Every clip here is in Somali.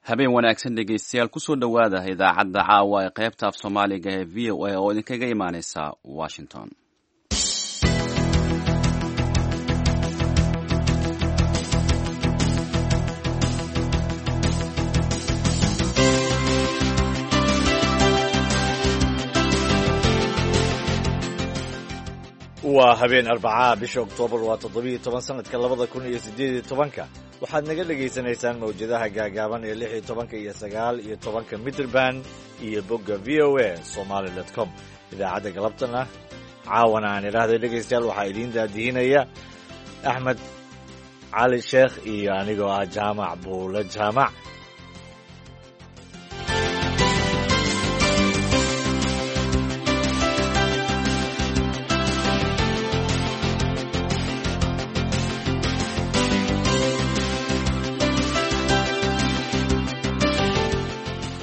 Habeen wanaagsan, dhegeystayaal. Kusoo dhowaada idaacadda caawa ee qaybta af Soomaaliga ee VOA oo idinkaga imaaneysa Washington. Waa habeen Arbacaa, bisha Oktoobar waa 17, sanadka 2018-ka. Waxaad naga dhegaysanaysaan mawjadaha gaagaaban ee 16-ka iyo 19-ka mitrban iyo bogga VOA Somali com. Idaacadda galabtana, caawana aan idhaahday, dhegaystayaal, waxaa idiin daadihinaya Axmed Cali Sheekh iyo anigoo ah Jaamac Buule Jaamac.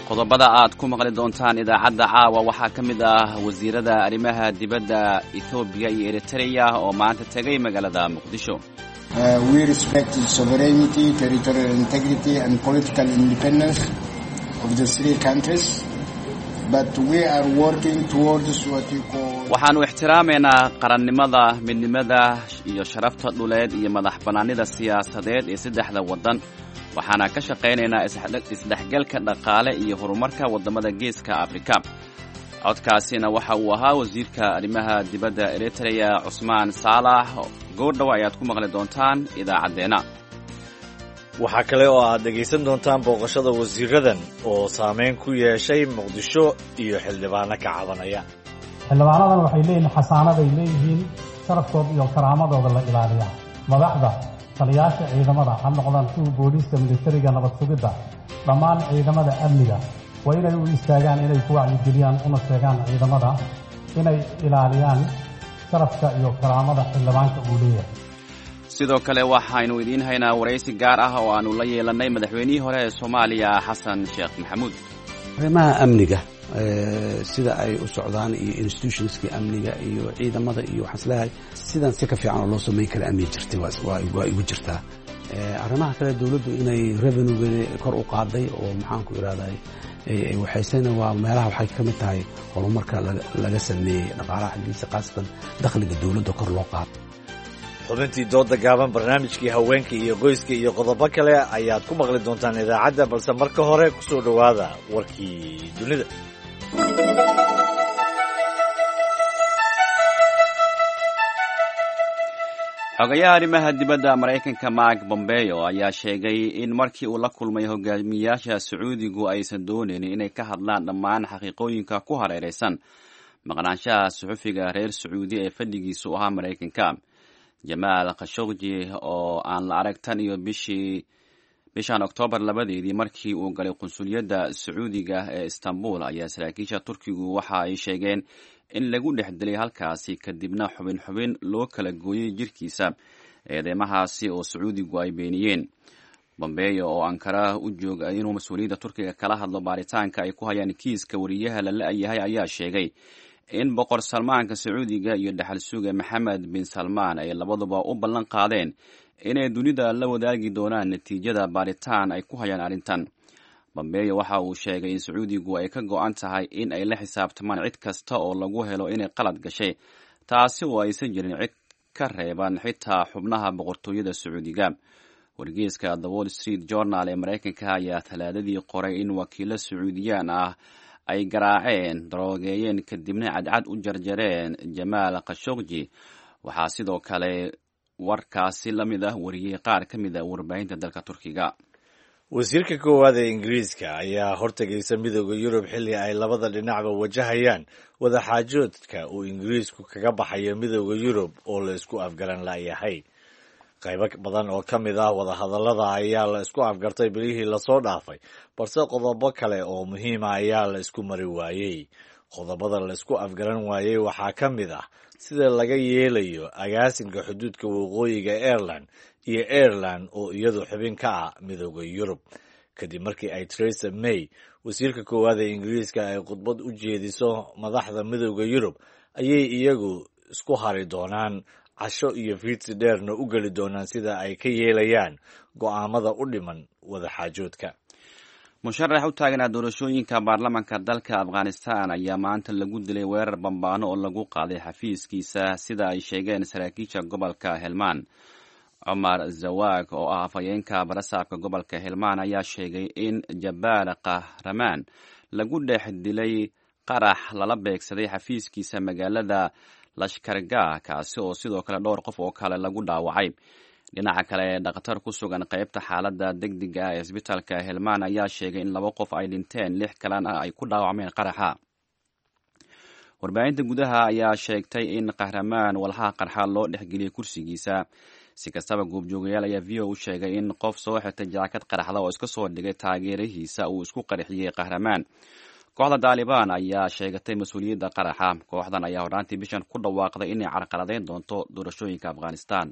Qodobada aad ku maqli doontaan idaacadda caawa waxaa ka mid ah wasiirada arrimaha dibadda Ethoobiya iyo Eritrea oo maanta tegay magaalada Muqdisho. We respect the sovereignty, territorial integrity and political independence of the three countries, but we are working towards what you call Waxaannu ixtiraamaynaa qarannimada, midnimada iyo sharafta dhuleed iyo madax bannaanida siyaasadeed ee saddexda waddan, waxaana ka shaqaynaynaa isdhexgalka dhaqaale iyo horumarka waddamada Geeska Afrika. Codkaasina waxa uu ahaa wasiirka arrimaha dibadda Eritrea, Cusmaan Saalax. Goordhow ayaad ku maqli doontaan idaacaddeenna. Waxaa kale oo aad dhegaysan doontaan booqashada wasiiradan oo saameyn ku yeeshay Muqdisho iyo xildhibaano ka cabanaya. Xildhibaanadan waxay leeyihiin xasaanaday leeyihiin, sharafkooda iyo karaamadooda la ilaaliyaa. Madaxda taliyaasha ciidamada, ha noqdaan kuwa booliiska, militariga, nabad sugidda, dhammaan ciidamada amniga, waa inay u istaagaan inay ku wacyigeliyaan una sheegaan ciidamada inay ilaaliyaan sharafka iyo karaamada xildhibaanka uu leeyahay. Sidoo kale waxaynu idiin haynaa waraysi gaar ah oo aanu la yeelannay madaxweynihii hore ee Soomaaliya, Xasan Sheekh Maxamuud. Arrimaha amniga sida ay u socdaan iyo institutionskii amniga iyo ciidamada iyo waxaan isleeyahay sidan si ka fiican oo loo samayn kara amni jirtay waa igu jirtaa. Arrimaha kale, dowladdu inay revenuegeeda kor u qaaday oo maxaan ku ihahday waxaysena waa meelaha waxay ka mid tahay horumarka laga sameeyey dhaqaalaha xaggiisa, khaasatan dakhliga dowladda kor loo qaado. Xubintii dooda gaaban, barnaamijkii haweenka iyo qoyska iyo qodobo kale ayaad ku maqli doontaan idaacadda, balse marka hore ku soo dhowaada warkii dunida. Xogayaha arrimaha dibadda Maraykanka Mark Bombeo ayaa sheegay in markii uu la kulmay hogaamiyaasha Sacuudigu aysan doonayn inay ka hadlaan dhammaan xaqiiqooyinka ku hareeraysan maqnaanshaha suxufiga reer Sacuudi ee fadhigiisu ahaa Maraykanka, Jamaal Khashogji, oo aan la arag tan iyo bishii bishan Oktoobar 2-deedii markii uu galay qunsuliyadda Sacuudiga ee Istanbul. Ayaa saraakiisha Turkigu waxa ay sheegeen in lagu dhex dilay halkaasi, kadibna xubin xubin loo kala gooyey jirkiisa, eedeymahaasi oo Sacuudigu ay beeniyeen. Bombeyo oo Ankara u jooga inuu mas-uuliyadda Turkiga kala hadlo baaritaanka ay ku hayaan kiiska wariyaha la la-yahay ayaa sheegay in Boqor Salmaanka Sacuudiga iyo dhexal suga Maxamed bin Salmaan ay labaduba u ballan qaadeen inay dunida la wadaagi doonaan natiijada baaritaan ay ku hayaan arrintan. Bombeyo waxa uu sheegay in Sacuudigu ay ka go-an tahay in ay la xisaabtamaan cid kasta oo lagu helo inay qalad gashay, taasi oo aysan jirin cid ka reeban, xitaa xubnaha boqortooyada Sacuudiga. Wargeyska The Wall Street Journal ee Maraykanka ayaa Talaadadii qoray in wakiilo Sacuudiyaan ah ay garaaceen, daroogeeyeen, kadibna cadcad u jarjareen Jamaal Khashogji. Waxaa sidoo kale warkaasi la mid ah wariyey qaar ka mid a warbaahinta dalka Turkiga. Wasiirka koowaad ee Ingiriiska ayaa hortegaysa Midooda Yurub xilli ay labada dhinacba wajahayaan wadaxaajoodka uu Ingiriisku kaga baxayo Midooda Yurub oo la isku afgaran la'yahay. Qaybo badan oo ka mid ah wadahadallada ayaa la isku afgartay bilihii lasoo dhaafay, balse qodobo kale oo muhiima ayaa la isku mari waayey. Qodobada la isku afgaran waayey waxaa ka mid ah sida laga yeelayo agaasinka xuduudka waqooyiga Ireland iyo Ireland oo iyadu xubin ka ah Midooda Yurub. Kadib markii ay Theresa May, wasiirka koowaad ee Ingiriiska, ay khudbad u jeediso madaxda Midooda Yurub, ayay iyagu isku hari doonaan, casho iyo fiidsi dheerna u geli doonaan sida ay ka yeelayaan go'aamada u dhiman wadaxaajoodka. Musharax u taaganaa doorashooyinka baarlamaanka dalka Afghanistan ayaa maanta lagu dilay weerar bambaano oo lagu qaaday xafiiskiisa, sida ay sheegeen saraakiisha gobolka Helmaan. Cumar Zawaag oo ah afhayeenka barasaabka gobolka Helmaan ayaa sheegay in Jabaal Kahramaan lagu dhex dilay qarax lala beegsaday xafiiskiisa magaalada Lashkargah, kaasi oo sidoo kale dhowr qof oo kale lagu dhaawacay. Dhinaca kale, dhakhtar ku sugan qaybta xaaladda degdega ah ee isbitaalka Helmaan ayaa sheegay in laba qof ay dhinteen, lix kalena ay ku dhaawacmeen qaraxa. Warbaahinta gudaha ayaa sheegtay in Kahramaan walxaha qarxa loo dhexgeliyey kursigiisa. Si kastaba, goobjoogayaal ayaa V O u sheegay in qof soo xirtay jaakad qaraxda oo iska soo dhigay taageerihiisa uu isku qarxiyey Kahramaan. Kooxda Taalibaan ayaa sheegatay mas-uuliyadda qaraxa. Kooxdan ayaa horraantii bishan ku dhawaaqday inay carqaladeyn doonto doorashooyinka Afghanistan.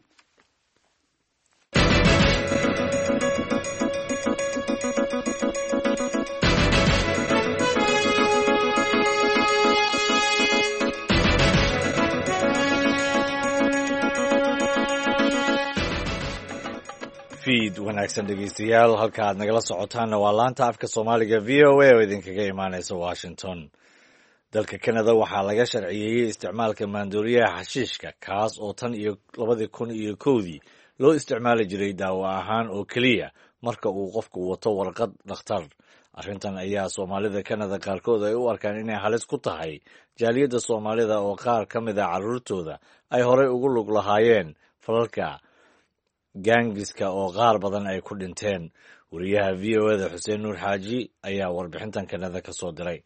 Fiid wanaagsan, dhegeystayaal. Halka aad nagala socotaanna waa laanta afka Soomaaliga V O A oo idinkaga imaaneysa Washington. Dalka Canada waxaa laga sharciyeeyey isticmaalka maandooriyaha xashiishka, kaas oo tan iyo 2001-dii loo isticmaali jiray daawo ahaan oo keliya marka uu qofku wato warqad dhakhtar. Arrintan ayaa Soomaalida Canada qaarkood ay u arkaan inay halis ku tahay jaaliyadda Soomaalida, oo qaar ka mid a carruurtooda ay horey ugu lug lahaayeen falalka gaangiska oo qaar badan ay ku dhinteen. Wariyaha V O A da Xuseen Nuur Xaaji ayaa warbixintan Kanada ka soo diray.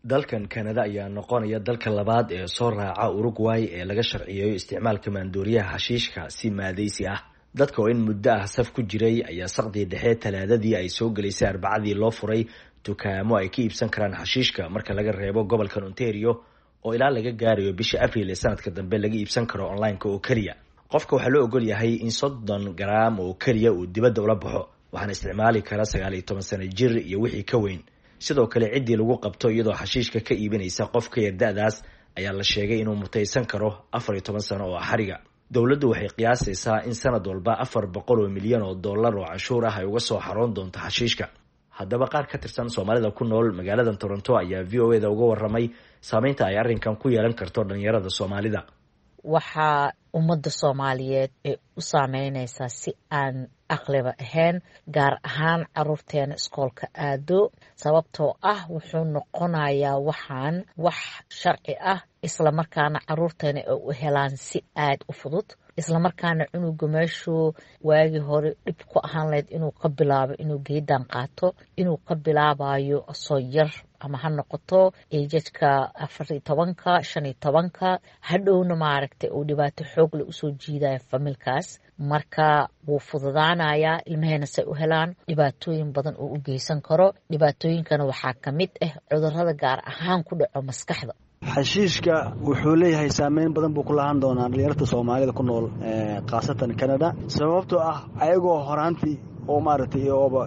Dalkan Kanada ayaa noqonaya dalka labaad ee soo raaca Uruguay ee laga sharciyeeyo isticmaalka maandooriyaha xashiishka si maadaysi ah. Dadka oo in muddo ah saf ku jiray ayaa saqdii dhexe Talaadadii ay soo gelaysay Arbacadii loo furay dukaamo ay ka iibsan karaan xashiishka, marka laga reebo gobolkan Ontario oo ilaa laga gaarayo bisha Abriil ee sanadka dambe laga iibsan karo online-ka oo keliya. Qofka waxaa loo ogol yahay in 30 garaam oo keliya uu dibadda ula baxo, waxaana isticmaali kara 19 sano jir iyo wixii ka weyn. Sidoo kale, ciddii lagu qabto iyadoo xashiishka ka iibinaysa qof ka yar da-daas ayaa la sheegay inuu mutaysan karo 14 sano oo xariga. Dowladdu waxay qiyaasaysaa in sanad walba 400 milyan oo dollar oo canshuur ah ay uga soo xaroon doonto xashiishka. Haddaba, qaar ka tirsan Soomaalida ku nool magaalada Toronto ayaa V O A da uga waramay saameynta ay arrinkan ku yeelan karto dhalinyarada Soomaalida. Waxaa ummadda Soomaaliyeed ay u saameyneysaa si aan aqliba ahayn, gaar ahaan caruurteena iskoolka aado, sababtoo ah wuxuu noqonayaa waxaan wax sharci ah, islamarkaana caruurteena ay u helaan si aad u fudud, islamarkaana cunuga meeshuu waagii hore dhib ku ahaan lahayd inuu ka bilaabo inuu geedan qaato, inuu ka bilaabayo asoo yar, ama ha noqoto ejajka 14-ka, 15-ka, hadhowna maaragtay uu dhibaato xoogle usoo jiidayo familkaas. Marka wuu fududaanayaa ilmaheena say u helaan, dhibaatooyin badan oo u geysan karo. Dhibaatooyinkana waxaa ka mid ah cudurada gaar ahaan ku dhaco maskaxda. Xashiishka wuxuu leeyahay saameyn badan buu ku lahaan doonaa dhalinyarta Soomaalida ku nool, khaasatan Canada, sababtoo ah ayagoo horaantii oo maaragtay ooba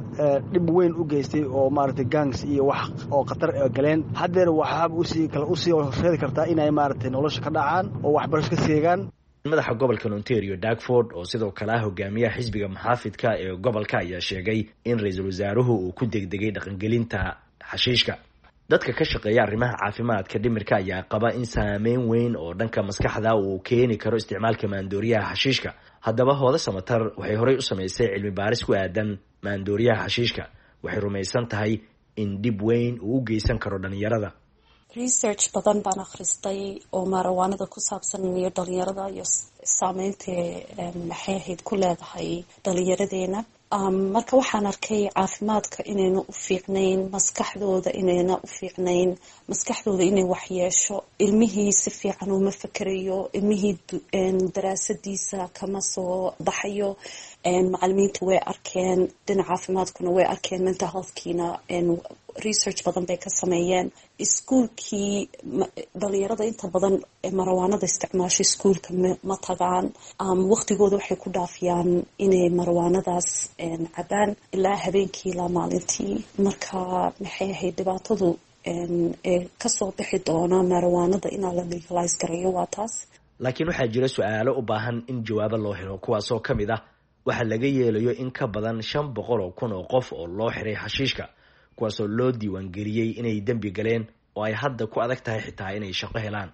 dhib weyn u geystay oo maaragtay gangs iyo wax oo khatar galeen, haddeer waxaaba usii kale usii horseedi kartaa inay maaragtay nolosha ka dhacaan oo waxbarasho ka seegaan. Madaxa gobolka Ontario Doug Ford, oo sidoo kale ah hogaamiyaha xisbiga muxaafidka ee gobolka, ayaa sheegay in ra-iisul wasaaruhu uu ku degdegay dhaqangelinta xashiishka. Dadka ka shaqeeya arrimaha caafimaadka dhimirka ayaa qaba in saameyn weyn oo dhanka maskaxda uu keeni karo isticmaalka maandooriyaha xashiishka. Haddaba, Hooda Samatar waxay horey u samaysay cilmi baaris ku aadan maandooriyaha xashiishka. Waxay rumaysan tahay in dhib weyn uu u geysan karo dhalinyarada. Research badan baan akhristay oo maarawaanada ku saabsan iyo dhalinyarada iyo saameynta maxay ahayd ku leedahay dhalinyaradeena. Marka waxaan arkay caafimaadka inayna u fiicnayn, maskaxdooda inayna u fiicnayn, maskaxdooda inay waxyeesho. Ilmihii si fiican uma fakerayo, ilmihii daraasadiisa kama soo baxayo. Macalimiinta way arkeen, dhinaca caafimaadkuna way arkeen, mental healthkiina research badan bay ka sameeyeen. Iskuulkii dhalinyarada inta badan marawaanada isticmaasho iskuulka ma tagaan. Waqtigooda waxay ku dhaafiyaan inay marawaanadaas cabaan ilaa habeenkii ilaa maalintii. Marka maxay ahayd dhibaatadu ee kasoo bixi doona marawaanada inaa la legalize gareeyo waa taas. Laakiin waxaa jira su-aalo u baahan in jawaabo loo helo, kuwaasoo ka mid ah waxaa laga yeelayo in ka badan 500,000 oo qof oo loo xiray xashiishka. kuwaasoo loo diiwaangeliyey inay dembi galeen oo ay hadda ku adag tahay xitaa inay shaqo helaan.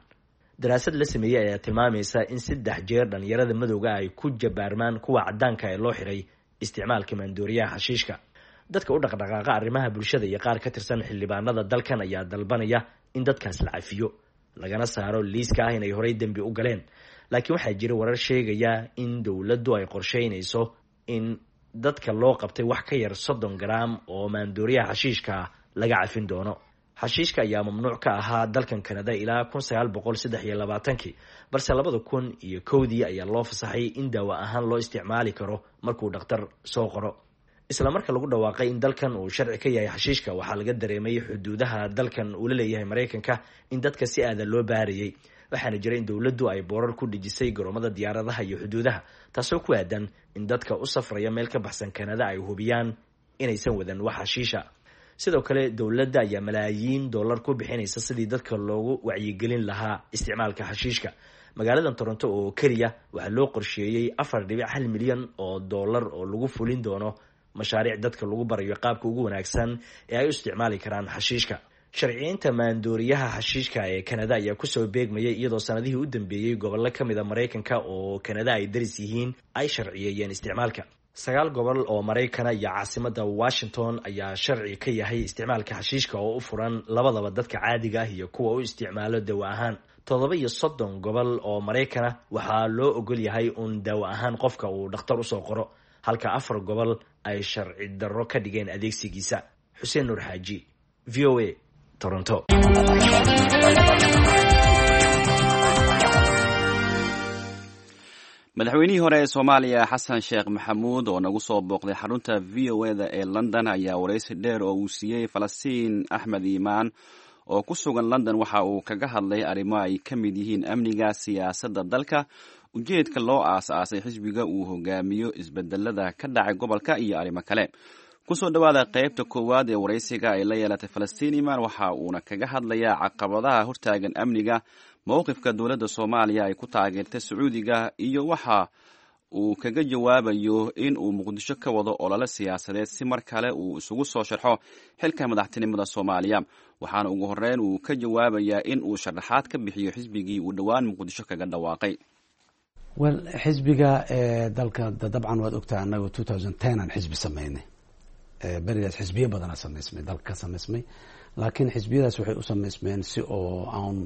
Daraasad la sameeyey ayaa tilmaamaysa in 3 jeer dhalinyarada madowga ay ku jabaarmaan kuwa caddaanka ee loo xiray isticmaalka maandooriyaha xashiishka. Dadka u dhaqdhaqaaqa arrimaha bulshada iyo qaar ka tirsan xildhibaanada dalkan ayaa dalbanaya in dadkaas la cafiyo, lagana saaro liiska ah inay horey dembi u galeen. Laakiin waxaa jira warar sheegaya in dowladdu ay qorsheynayso in dadka loo qabtay wax ka yar 30 garaam oo maandooriyaha xashiishka laga cafin doono. Xashiishka ayaa mamnuuc ka ahaa dalkan Kanada ilaa 1923-kii, balse 2001-dii ayaa loo fasaxay in daawo ahaan loo isticmaali karo markuu dhakhtar soo qoro. Isla marka lagu dhawaaqay in dalkan uu sharci ka yahay xashiishka, waxaa laga dareemay xuduudaha dalkan uu la leeyahay Maraykanka in dadka si aadan loo baarayay, waxaana jira in dowladdu ay boorar ku dhejisay garoomada diyaaradaha iyo xuduudaha, taasoo ku aadan in dadka u safraya meel ka baxsan Kanada ay hubiyaan inaysan wadan wax xashiisha. Sidoo kale dowladda ayaa malaayiin dollar ku bixinaysa sidii dadka loogu wacyigelin lahaa isticmaalka xashiishka. Magaalada Toronto oo keliya waxaa loo qorsheeyey 4.1 milyan oo dollar oo lagu fulin doono mashaariic dadka lagu barayo qaabka ugu wanaagsan ee ay u isticmaali karaan xashiishka. Sharciyeynta maandooriyaha xashiishka ee Kanada ayaa kusoo beegmayay iyadoo sanadihii u dambeeyey gobollo ka mid a Maraykanka oo Kanada ay daris yihiin ay sharciyeeyeen isticmaalka. 9 gobol oo Maraykana iyo caasimadda Washington ayaa sharci ka yahay isticmaalka xashiishka oo u furan labadaba dadka caadiga ah iyo kuwa u isticmaalo dawo ahaan. 37 gobol oo Maraykana waxaa loo ogol yahay uun daawo ahaan qofka uu dhakhtar usoo qoro, halka 4 gobol ay sharci darro ka dhigeen adeegsigiisa. Xuseen Nuur Xaaji, VOA, Toronto. Madaxweynihii hore ee Soomaaliya Xasan Sheekh Maxamuud oo nagu soo booqday xarunta VOA-da ee London ayaa waraysi dheer oo uu siiyey Falastiin Axmed Iimaan oo ku sugan London waxa uu kaga hadlay arrimo ay ka mid yihiin amniga, siyaasadda dalka, ujeedka loo aas-aasay xisbiga uu hogaamiyo, isbedelada ka dhacay gobolka iyo arrimo kale. Kusoo dhowaada qaybta koowaad ee waraysiga ay la yeelatay Falastiin Iimaan, waxa uuna kaga hadlayaa caqabadaha hortaagan amniga, mowqifka dowladda Soomaaliya ay ku taageertay Sacuudiga iyo waxa uu kaga jawaabayo in uu Muqdisho ka wado olole siyaasadeed si mar kale uu isugu soo sharxo xilka madaxtinimada Soomaaliya. Waxaana ugu horreyn uu ka jawaabayaa in uu sharaxaad ka bixiyo xisbigii uu dhowaan Muqdisho kaga dhawaaqay. Wel, xisbiga dalka dabcan waad ogtahay, annagu 2010 aan xisbi sameynay. Berigaas xisbiyo badanaa samaysmay, dalka ka samaysmay, laakiin xisbiyadaas waxay u samaysmeen si oo aan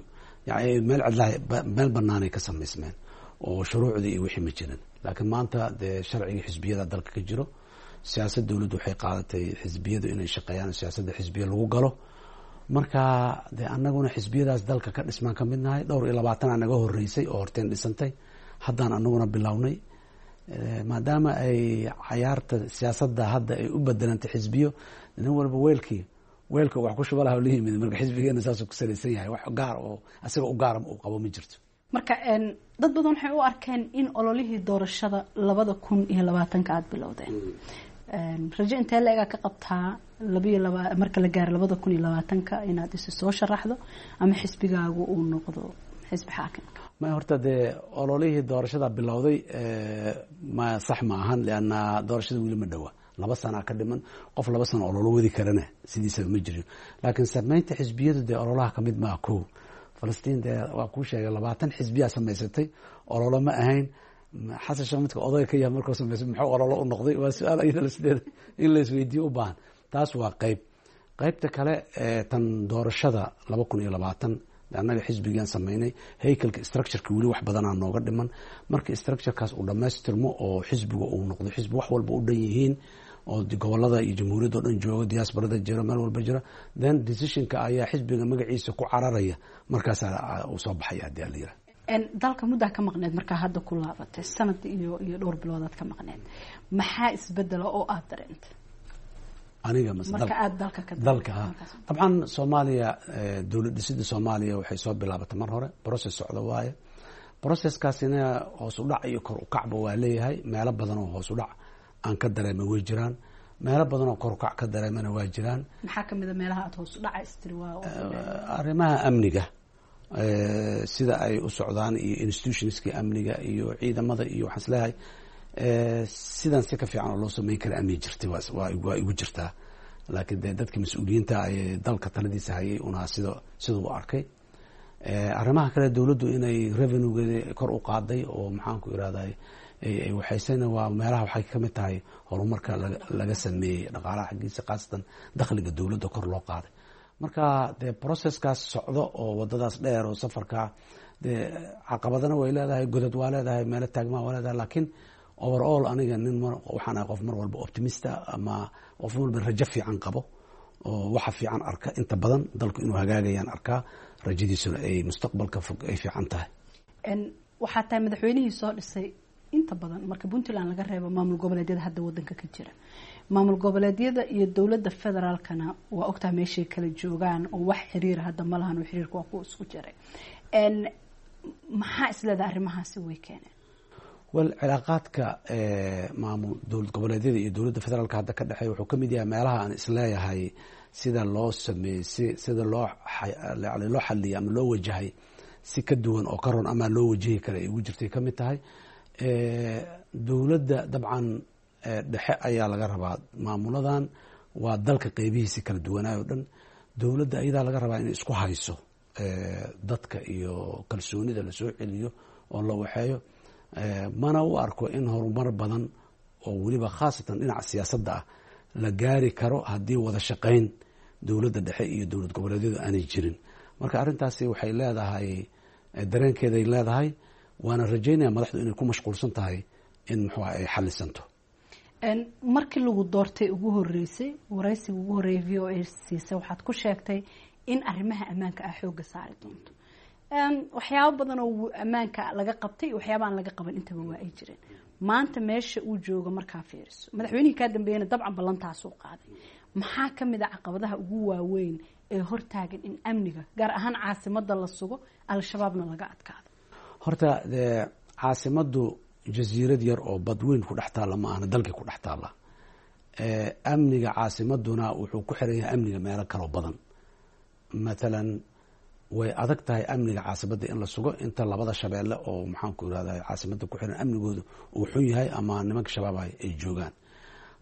yani meel cidlaha, meel banaanay ka samaysmeen oo shuruucdii iyo wixii ma jirin. Laakiin maanta dee sharcigii xisbiyada dalka ka jiro, siyaasad dowladdu waxay qaadatay xisbiyadu inay shaqeeyaan, siyaasadda xisbiya lagu galo. Marka dee annaguna xisbiyadaas dalka ka dhismaan ka mid nahay. Dhowr iyo labaatanaa naga horeysay oo horteen dhisantay, haddaan anaguna bilownay, maadaama ay cayaarta siyaasadda hadda ay u bedelantay xisbiyo, nin walba weelkii weelka wax ku shuba laha la yimid. Marka xisbigeena saasuu ku salaysan yahay, wax gaar oo asaga u gaara uu qabo ma jirto. Marka dad badan waxay u arkeen in ololihii doorashada 2020-ka aada bilowdeen. Rajo intee la-egaa ka qabtaa labayo laba marka la gaaro 2020-ka inaad isi soo sharaxdo ama xisbigaagu uu noqdo xisbi xaakimka? Ma horta dee ololihii doorashada bilowday ma sax ma ahan, lianna doorashada weli ma dhowa, 2 sanaa ka dhiman. Qof 2 sano ololo wadi karana sidiisaba ma jirin. Laakiin sameynta xisbiyadu dee ololaha kamid maa. Ko Falastiin dee waa kuu sheegay, 20 xisbiyaa samaysatay, ololo ma ahayn. Xasan Sheekh midka odayga ka yahay markuu samaysay muxuu ololo u noqday? Waa su-aal iyada sideeda in la isweydiiyo u baahan. Taas waa qayb. Qaybta kale, tan doorashada 2020, annaga xisbigaan sameynay, haykalka structureka weli wax badanaa nooga dhiman. Marka structurekaas uu dhammaystirmo oo xisbiga uu noqdo xisbi wax walba u dhan yihiin oo gobolada iyo jamhuuriyadda o dhan joogo, diasporada jiro, meel walba jira, then decisionka ayaa xisbiga magaciisa ku cararaya, markaasaa uu soo baxaya hadii ala yiraha. Dalka muddaa ka maqneed, markaa hadda ku laabatay sanad iyo dhowr biloodaad ka maqneed, maxaa isbedela oo aada dareentay? Aniga mase marka aada dalka ka dalka? Ha, dabcan Soomaaliya, dowlad dhisida Soomaaliya waxay soo bilaabatay mar hore, process socda waaye. Processkaasina hoos u dhac iyo kor u kacba waa leeyahay. Meelo badan oo hoos u dhac aan ka dareemay way jiraan, meelo badan oo kor u kac ka dareemana waa jiraan. Maxaa kamid a meelaha aada hoos u dhaca istiri waa? Arrimaha amniga sida ay u socdaan iyo institutionskii amniga iyo ciidamada iyo waxaan isleeyahay sidan si ka fiican oo loo sameyn kara amni jirtay waa igu jirtaa. Laakiin dee dadka mas-uuliyiinta ee dalka taladiisa hayay unaa sida siduu u arkay. Arrimaha kale, dowladdu inay revenuegeeda kor u qaaday oo, maxaanku irahday, ay waxaysana, waa meelaha waxay ka mid tahay horumarka laga sameeyey dhaqaalaha xaggiisa, khaasatan dakhliga dowladda kor loo qaaday. Marka dee processkaas socdo oo wadadaas dheer oo safarka, dee caqabadana way leedahay, godad waa leedahay, meelo taagmaa waa leedahay, laakiin overall aniga nin waxaan ahay qof mar walba optimist ah ama qof walba rajo fiican qabo oo waxa fiican arka. Inta badan dalku inuu hagaagayaan arkaa, rajadiisuna ay mustaqbalka fog ay fiican tahay. Waxaa tahay madaxweynihii soo dhisay inta badan, marka Puntland laga reebo, maamul goboleedyada hadda wadanka ka jira. Maamul goboleedyada iyo dowladda federaalkana waa ogtahay meeshay kala joogaan oo wax xiriira hadda ma lahan, oo xiriirka waa kuwa isku jiray. Maxaa isleedahay arrimahaasi way keeneen? Well, cilaaqaadka maamul dowlad goboleedyada iyo dowladda federaalka hadda ka dhexeeya wuxuu kamid yahay meelaha aan isleeyahay sida loo sameeyey, si sida loo loo xaliyay ama loo wajahay si ka duwan oo ka ron ama loo wajahi kara ay ugu jirtay kamid tahay. Dowladda dabcan dhexe ayaa laga rabaa, maamuladan waa dalka qeybihiisi kala duwanaayo o dhan, dowladda ayadaa laga rabaa inay isku hayso dadka iyo kalsoonida lasoo celiyo oo la waxeeyo. Mana u arko in horumar badan oo weliba khaasatan dhinaca siyaasadda ah la gaari karo haddii wada shaqayn dowladda dhexe iyo dowlad goboleedyadu aanay jirin. Marka arrintaasi waxay leedahay dareenkeeday leedahay, waana rajaynaya madaxdu inay ku mashquulsan tahay in muxuu ay xalisanto. Markii lagu doortay ugu horeysay, waraysiga ugu horreeyay VOA siisay, waxaad ku sheegtay in arrimaha ammaanka ah xoogga saari doonto. Waxyaabo badan oo ammaanka laga qabtay, waxyaaba aan laga qaban intaba waa ay jireen. Maanta meesha uu joogo markaa fiiriso, madaxweynihii kaa dambeeyana dabcan ballantaasuu qaaday, maxaa ka mid a caqabadaha ugu waaweyn ee hortaagan in amniga, gaar ahaan caasimada, la sugo, Al-Shabaabna laga adkaado? Horta dee caasimaddu jasiirad yar oo badweyn ku dhex taalla ma ahna, dalkii ku dhex taalla. Amniga caasimaduna wuxuu ku xiran yahay amniga meelo kaloo badan. Mathalan, way adag tahay amniga caasimadda in la sugo inta labada shabeelle oo, maxaanku irahda, caasimadda ku xiran amnigooda uu xun yahay ama nimanka Shabaab ay joogaan.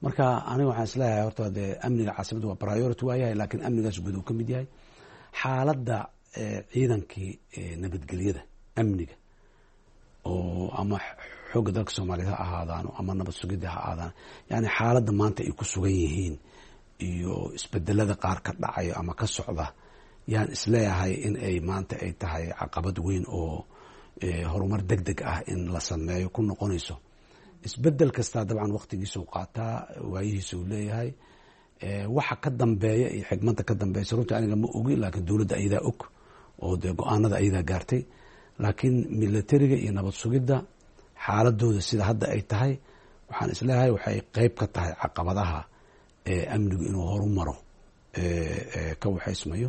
Marka aniga waxaan isleeyahay horta dee amniga caasimadda waa priority waa yahay, laakiin amnigaas guud uu ka mid yahay xaaladda ciidankii nabadgelyada amniga oo ama xoogga dalka Soomaaliyeed ha ahaadaano ama nabad sugidda ha ahaadaan, yani xaaladda maanta ay ku sugan yihiin iyo isbedelada qaar ka dhacayo ama ka socda, yaan isleeyahay in ay maanta ay tahay caqabad weyn oo horumar deg deg ah in la sameeyo ku noqonayso. Isbedel kastaa dabcan waqtigiisuu qaataa, waayihiisuu leeyahay. Waxa ka dambeeya iyo xigmadda ka dambeysa runtii aniga ma ogi, laakiin dowladda ayadaa og oo dee go-aanada ayadaa gaartay. Laakiin militariga iyo nabad sugidda xaaladooda sida hadda ay tahay, waxaan isleeyahay waxay qeyb ka tahay caqabadaha amnigu inuu horumaro ka waxaysmayo.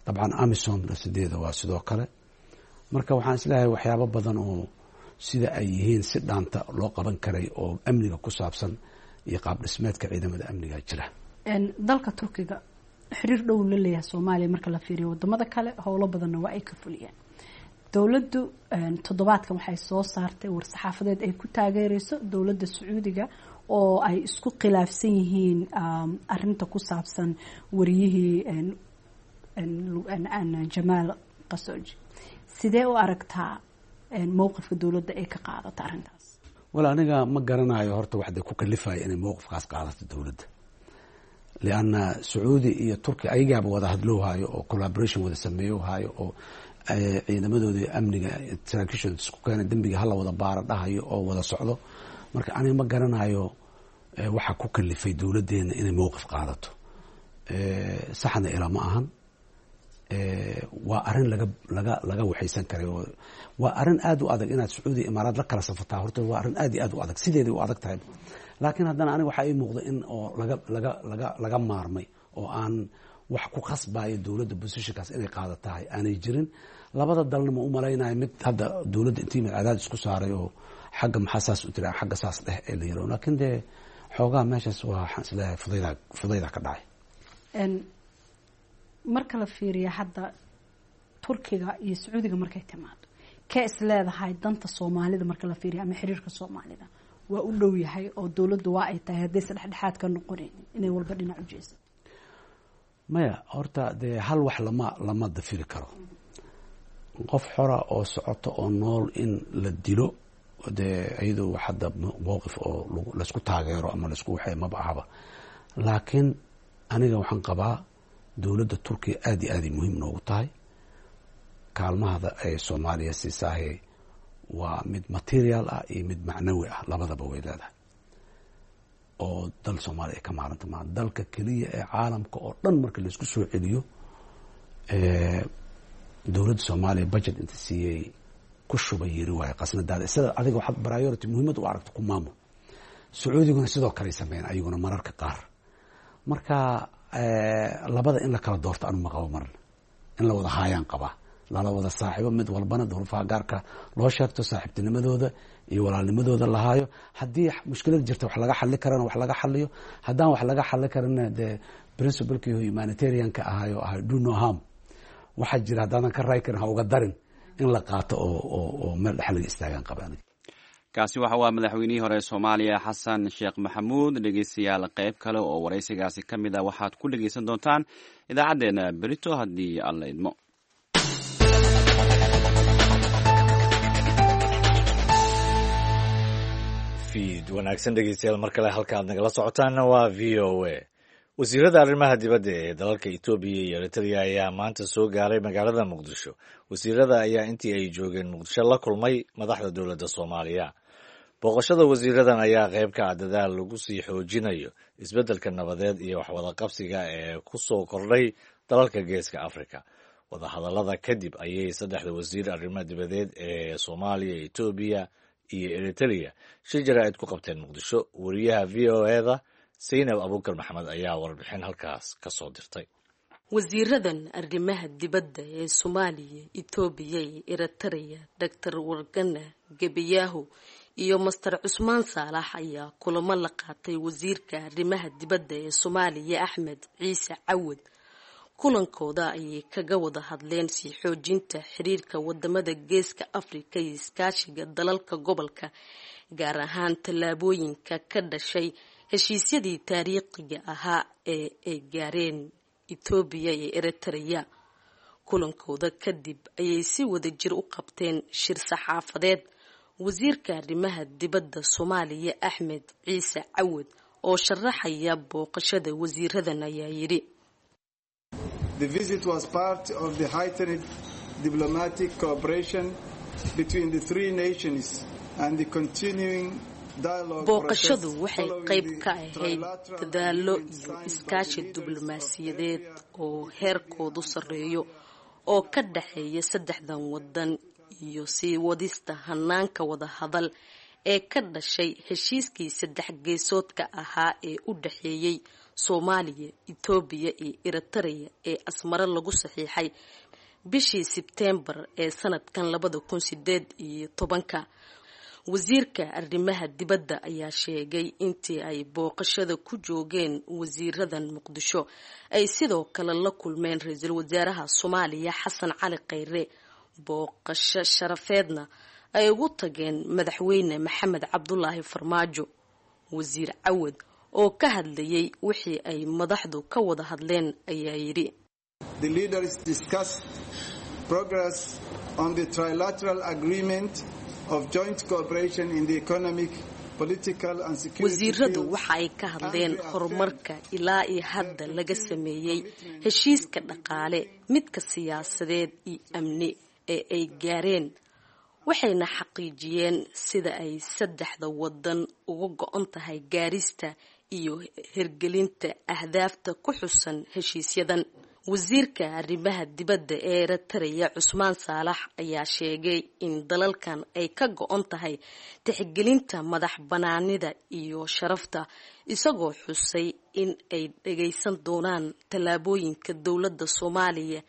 Dabcan AMISOM sideeda waa sidoo kale. Marka waxaan isleeyahay waxyaabo badan oo sida ay yihiin si dhaanta loo qaban karay oo amniga ku saabsan iyo qaab dhismeedka ciidamada amniga jira. Dalka Turkiga xiriir dhow la leeyahay Soomaaliya marka la fiiriyo wadamada kale, howlo badanna waa ay ka fuliyaan. Dowladdu toddobaadkan waxay soo saartay war-saxaafadeed ay ku taageereyso dowladda Sacuudiga oo ay isku khilaafsan yihiin arinta ku saabsan wariyihii Jamaal Khashoggi. Sidee u aragtaa mowqifka dowladda ay ka qaadato arrintaas? Wal, aniga ma garanayo horta waxda ku kalifaya inay mowqifkaas qaadato dowladda, lianna Sacuudi iyo Turkiya ayagaaba wada hadlowhayo oo collaboration wada sameeyohayo oo ciidamadooda amniga saraakiishooda isku keena, dembiga hala wada baara dhahayo oo wada socdo. Marka aniga ma garanayo waxa ku kalifay dowladdeena inay mowqif qaadato. Saxna ilaa ma ahan, waa arrin laga laga laga waxaysan karay. Waa arrin aada u adag inaad Sacuudiya Imaaraad la kala safataa. Horta waa arrin aad iyo aad u adag, sideeday u adag tahay, laakiin haddana aniga waxaa ii muuqda in oo laga laga laga laga maarmay oo aan wax ku khasbayo dowladda positionkaas inay qaadatahay aanay jirin. Labada dalna ma u malaynayo mid hadda dowladda intii mid cadaadis ku saaray oo xagga maxaa saas u tira, xagga saas dheh ee la yiro. Laakiin dee xoogaa meeshaas waa, waxaan isleeyahay fudayda ka dhacay. Marka la fiiriya hadda Turkiga iyo Sacuudiga markay timaado, kee is leedahay danta Soomaalida marka la fiiriyo ama xiriirka Soomaalida waa u dhow yahay oo dowladdu waa ay tahay haddaysa dhexdhexaad ka noqonaynin inay walba dhinac u jeesato? Maya, horta dee hal wax lama dafiri karo. Qof xora oo socoto oo nool in la dilo, dee iyadoo wax hadda mowqif oo laysku taageero ama laysku waxay maba ahaba. Laakiin aniga waxaan qabaa dowladda Turkiya aada iyo aaday muhiim noogu tahay. Kaalmahada ay Soomaaliya siisaahe waa mid material ah iyo mid macnawi ah, labadaba way leedahay, oo dal Soomaaliya ay ka maaranta maa. Dalka keliya ee caalamka oo dhan marka laisku soo celiyo dowladda Soomaaliya budget inta siiyey ku shuba yiri waayo qasnadaada sida adiga waxaad priority muhiimad u aragto ku maamul. Sacuudiguna sidoo kale sameeyeen ayaguna mararka qaar. Marka labada in la kala doorto anu ma qabo, marna in la wada haayaan qabaa, lala wada saaxiibo, mid walbana duruufaha gaarka loo sheegto, saaxiibtinimadooda iyo walaalnimadooda lahaayo. Haddii mushkilad jirta wax laga xali karana wax laga xaliyo, haddaan wax laga xali karana dee principlekii humanitarianka ahayo ahay do no harm, waxaa jira haddaadan ka raay karin ha uga darin, in la qaato oo meel dhex laga istaagaan qaba aniga. Kaasi waxa waa madaxweynihii hore ee Soomaaliya Xasan Sheekh Maxamuud. Dhegeystayaal, qayb kale oo waraysigaasi ka mid ah waxaad ku dhegeysan doontaan idaacaddeenna berito haddii Alla idmo. Fiid wanaagsan dhegeystayaal, mar kale halka aad nagala socotaanna waa VOA. Wasiirada arrimaha dibadda ee dalalka Itoobiya iyo Eritrea ayaa maanta soo gaaray magaalada Muqdisho. Wasiirada ayaa intii ay joogeen Muqdisho la kulmay madaxda dowladda Soomaaliya. Booqashada wasiiradan ayaa qayb ka ah dadaal lagu sii xoojinayo isbeddelka nabadeed iyo waxwadaqabsiga ee ku soo kordhay dalalka Geeska Afrika. Wadahadallada kadib ayay saddexda wasiir arrimaha dibadeed ee Soomaaliya, Itoobiya iyo Eritrea shir jaraa'id ku qabteen Muqdisho. Wariyaha VOA-da Saynab Abuukar Maxamed ayaa warbixin halkaas ka soo dirtay. Wasiiradan arrimaha dibadda ee Soomaaliya, Itoobiya iyo Eritrea, Doctor Wargana Gebiyahu iyo Master Cusmaan Saalax, ayaa kulamo la qaatay wasiirka arrimaha dibadda ee Soomaaliya Axmed Ciise Cawad. Kulankooda ayay kaga wada hadleen sii xoojinta xiriirka wadamada Geeska Afrika iyo iskaashiga dalalka gobolka, gaar ahaan tallaabooyinka ka dhashay heshiisyadii taariikhiga ahaa ee ay gaareen Itoobiya iyo Eritrea. Kulankooda kadib ayay si wadajir u qabteen shir saxaafadeed. Wasiirka arrimaha dibadda Soomaaliya Axmed Ciise Cawad oo sharaxaya booqashada wasiiradan ayaa yidhi: The visit was part of the heightened diplomatic cooperation between the three nations and the continuing Booqashadu waxay qayb ka ahayd dadaallo iyo iskaashi diblomaasiyadeed oo heerkoodu sarreeyo oo ka dhexeeya saddexdan wadan iyo sii wadista hanaanka wadahadal ee ka dhashay heshiiskii saddex geesoodka ahaa ee u dhexeeyey Soomaaliya, Itoobiya iyo Eritrea ee Asmaro lagu saxiixay bishii Sebteembar ee sanadkan 2018-ka. Wasiirka arrimaha dibadda ayaa sheegay intii ay booqashada ku joogeen wasiiradan Muqdisho ay sidoo kale la kulmeen ra-iisul wasaaraha Soomaaliya Xasan Cali Kheyre, booqasho sharafeedna ay ugu tageen madaxweyne Maxamed Cabdulaahi Farmaajo. Wasiir Cawad oo ka hadlayay wixii ay madaxdu ka wada hadleen ayaa yidhi: The leaders discussed progress on the trilateral agreement of joint cooperation in the economic, political and security Wasiiradu fields. Waxa ay ka hadleen horumarka ilaa iyo hadda laga sameeyey heshiiska dhaqaale, midka siyaasadeed iyo amni ee ay gaareen, waxayna xaqiijiyeen sida ay saddexda wadan uga go-on tahay gaarista iyo hirgelinta ahdaafta ku xusan heshiisyadan. Wasiirka arrimaha dibadda ee Eritrea Cusmaan Saalax ayaa sheegay in dalalkan ay ka go-on tahay tixgelinta madax banaanida iyo sharafta, isagoo xusay in ay dhageysan doonaan tallaabooyinka dowladda Soomaaliya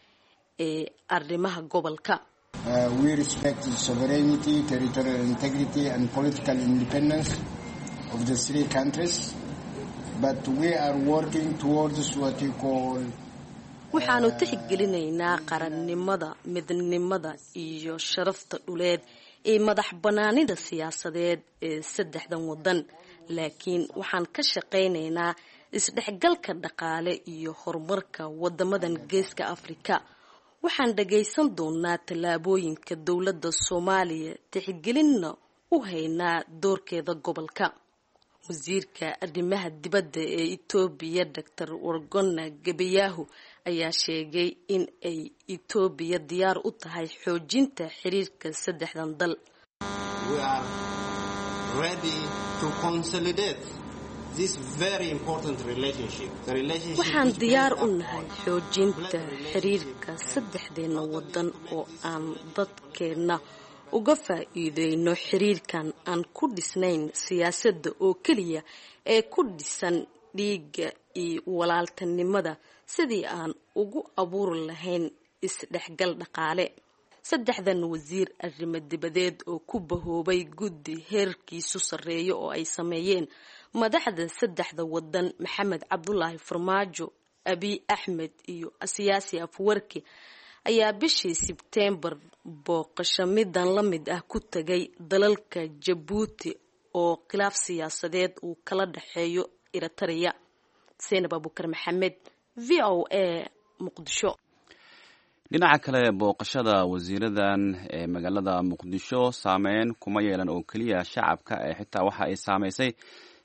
ee arrimaha gobolka. We respect the sovereignty, territorial integrity, and political independence of the three countries, but we are working towards what you call Waxaanu tixgelinaynaa qarannimada, midnimada iyo sharafta dhuleed ee madax bannaanida siyaasadeed ee saddexdan wadan, laakiin waxaan ka shaqaynaynaa isdhexgalka dhaqaale iyo horumarka wadamadan geeska Afrika. Waxaan dhagaysan doonaa tallaabooyinka dowladda Soomaaliya, tixgelinna u haynaa doorkeeda gobolka. Wasiirka arrimaha dibadda ee Itoobiya Dr. Wargona Gebeyahu ayaa sheegay in ay Itoobiya diyaar u tahay xoojinta xiriirka saddexdan dal. We are ready to consolidate this very important relationship. The relationship Waxaan which diyaar based u upon nahay xoojinta xiriirka saddexdeena wadan oo aan dadkeenna uga faa'iideyno xiriirkan aan ku dhisnayn siyaasadda oo keliya ee ku dhisan dhiigga iyo walaaltinimada, sidii aan ugu abuuri lahayn isdhexgal dhaqaale. Saddexdan wasiir arrimo dibadeed oo ku bahoobay guddi heerkiisu sarreeyo oo ay sameeyeen madaxda saddexda wadan Maxamed Cabdulaahi Farmaajo, Abiy Axmed iyo Siyaasi Afwerki ayaa bishii Sebteembar booqasho midan la mid ah ku tagay dalalka Jabuuti oo khilaaf siyaasadeed uu kala dhexeeyo Eritrea. Zaynab Abuukar Maxamed, VOA, Muqdisho. Dhinaca kale, booqashada wasiiradan ee magaalada Muqdisho saameyn kuma yeelan oo keliya shacabka ee xitaa waxa ay saameysay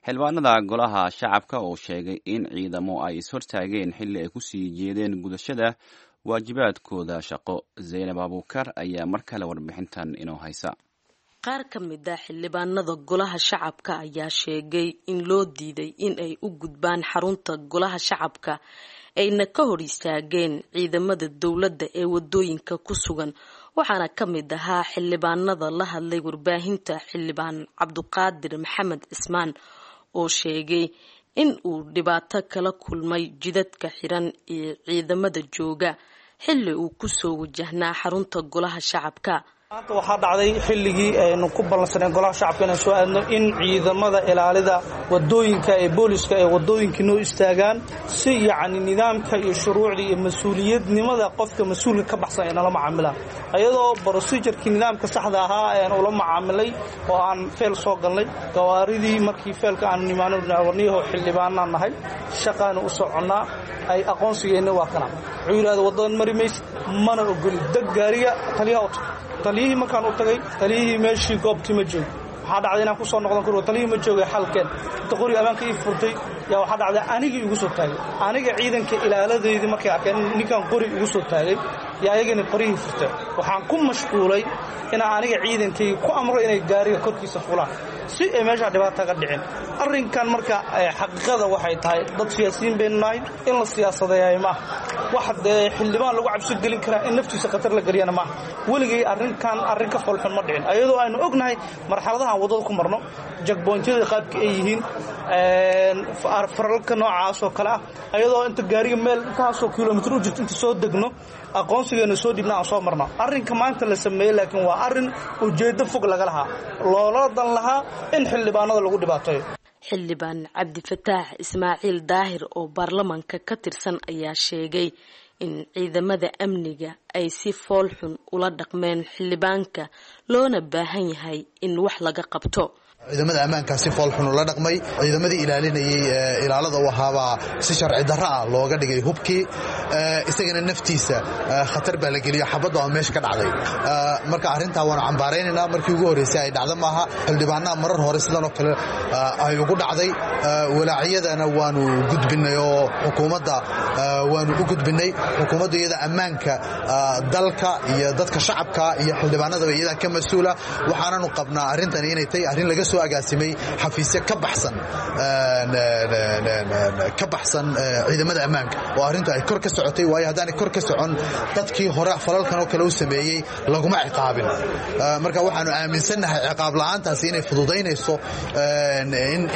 xildhibaanada golaha shacabka oo sheegay in ciidamo ay is-hortaageen xilli ay kusii jeedeen gudashada waajibaadkooda shaqo. Zaynab Abuukar ayaa mar kale warbixintan inoo haysa. Qaar ka mid ah xildhibaanada golaha shacabka ayaa sheegay in loo diiday in ay u gudbaan xarunta golaha shacabka, ayna ka hor istaageen ciidamada dowladda ee wadooyinka ku sugan. Waxaana ka mid ahaa xildhibaanada la hadlay warbaahinta xildhibaan Cabduqaadir Maxamed Cismaan oo sheegay in uu dhibaato kala kulmay jidadka xiran ee ciidamada jooga xilli uu kusoo wajahnaa xarunta golaha shacabka. Maanta waxaa dhacday xilligii aynu ku ballansaneen golaha shacabka inaan soo aadno in ciidamada ilaalida wadooyinka ee booliska ee wadooyinka noo istaagaan si yacni nidaamka iyo shuruucda iyo mas-uuliyadnimada qofka mas-uulka ka baxsan ay nala macaamilaan, ayadoo procedurekii nidaamka saxda ahaa ayaan ula macaamilay oo aan feel soo galnay gawaaridii. Markii feelka aanu nimaano, warniyaho xildhibaanaan nahay, shaqaanu u soconnaa, ay aqoonsigeenna waa kana. Wuxuu yidhahda waddadan mari maysid, mana ogoli, deg gaariga, taliyaha u tag. Taliyihii markaan u tagay, taliyihii meeshii goobtii ma joogo. Waxaa dhacday inaan ku soo noqdon karo, taliyihii ma joogay, xalkeen inta qoriga ammaanka ii furtay yaa waxaa dhacday anigii igu soo taagay. Aniga ciidanka ilaaladeydii markay arkeen ninkaan qori igu soo taagay yaa ayagana qorihii furteen. Waxaan ku mashquulay inaan aniga ciidankayga ku amro inay gaariga korkiisa fulaan si ay meeshaa dhibaata ka dhicin. Arrinkan marka xaqiiqada waxay tahay dad siyaasiyiin baynu nahay, in la siyaasadeeyaay maaha. Wax dee xildhibaan lagu cabsi gelin karaa in naftiisa khatar la geliyana maaha. Weligay arrinkan arrin ka foolxun ma dhicin, ayadoo aynu ognahay marxaladahan waddada ku marno, jagboontyada qaabka ay yihiin, faralka noocaas oo kale ah, ayadoo inta gaariga meel intaasoo kilomitr u jirto inta soo degno, aqoonsigeena soo dhibna, aan soo marno. Arrinka maanta la sameeyey laakiin waa arrin ujeeddo fog laga lahaa, loola dan lahaa in xildhibaanada lagu dhibaateeyo. Xildhibaan Cabdifataax Ismaaciil Daahir oo baarlamaanka ka tirsan ayaa sheegay in ciidamada amniga ay si foolxun ula dhaqmeen xildhibaanka, loona baahan yahay in wax laga qabto. Ciidamada ammaankaa si foolxun ula dhaqmay. Ciidamadii ilaalinayey ilaalada u ahaabaa si sharci darro ah looga dhigay hubkii. Isagana naftiisa khatar baa la geliyo, xabadda oo meesha ka dhacday. Marka arrintaa waanu cambaaraynaynaa. Markii ugu horreysay ay dhacdo maaha, xildhibaanaha marar hore sidan oo kale ay ugu dhacday. Walaacyadana waanu gudbinay oo xukuumadda waanu u gudbinay. Xukuumaddu iyada ammaanka dalka iyo dadka shacabka iyo xildhibaanadaba iyadaa ka mas-uula. Waxaananu qabnaa arrintani inay tahay arrin laga soo agaasimay xafiisyo ka baxsan ciidamada ammaanka oo arrintu ay kor ka socotay, waayo haddaanay kor ka socon dadkii hore falalkan oo kale u sameeyey laguma ciqaabin. Marka waxaanu aaminsannahay ciqaab la'aantaasi inay fududaynayso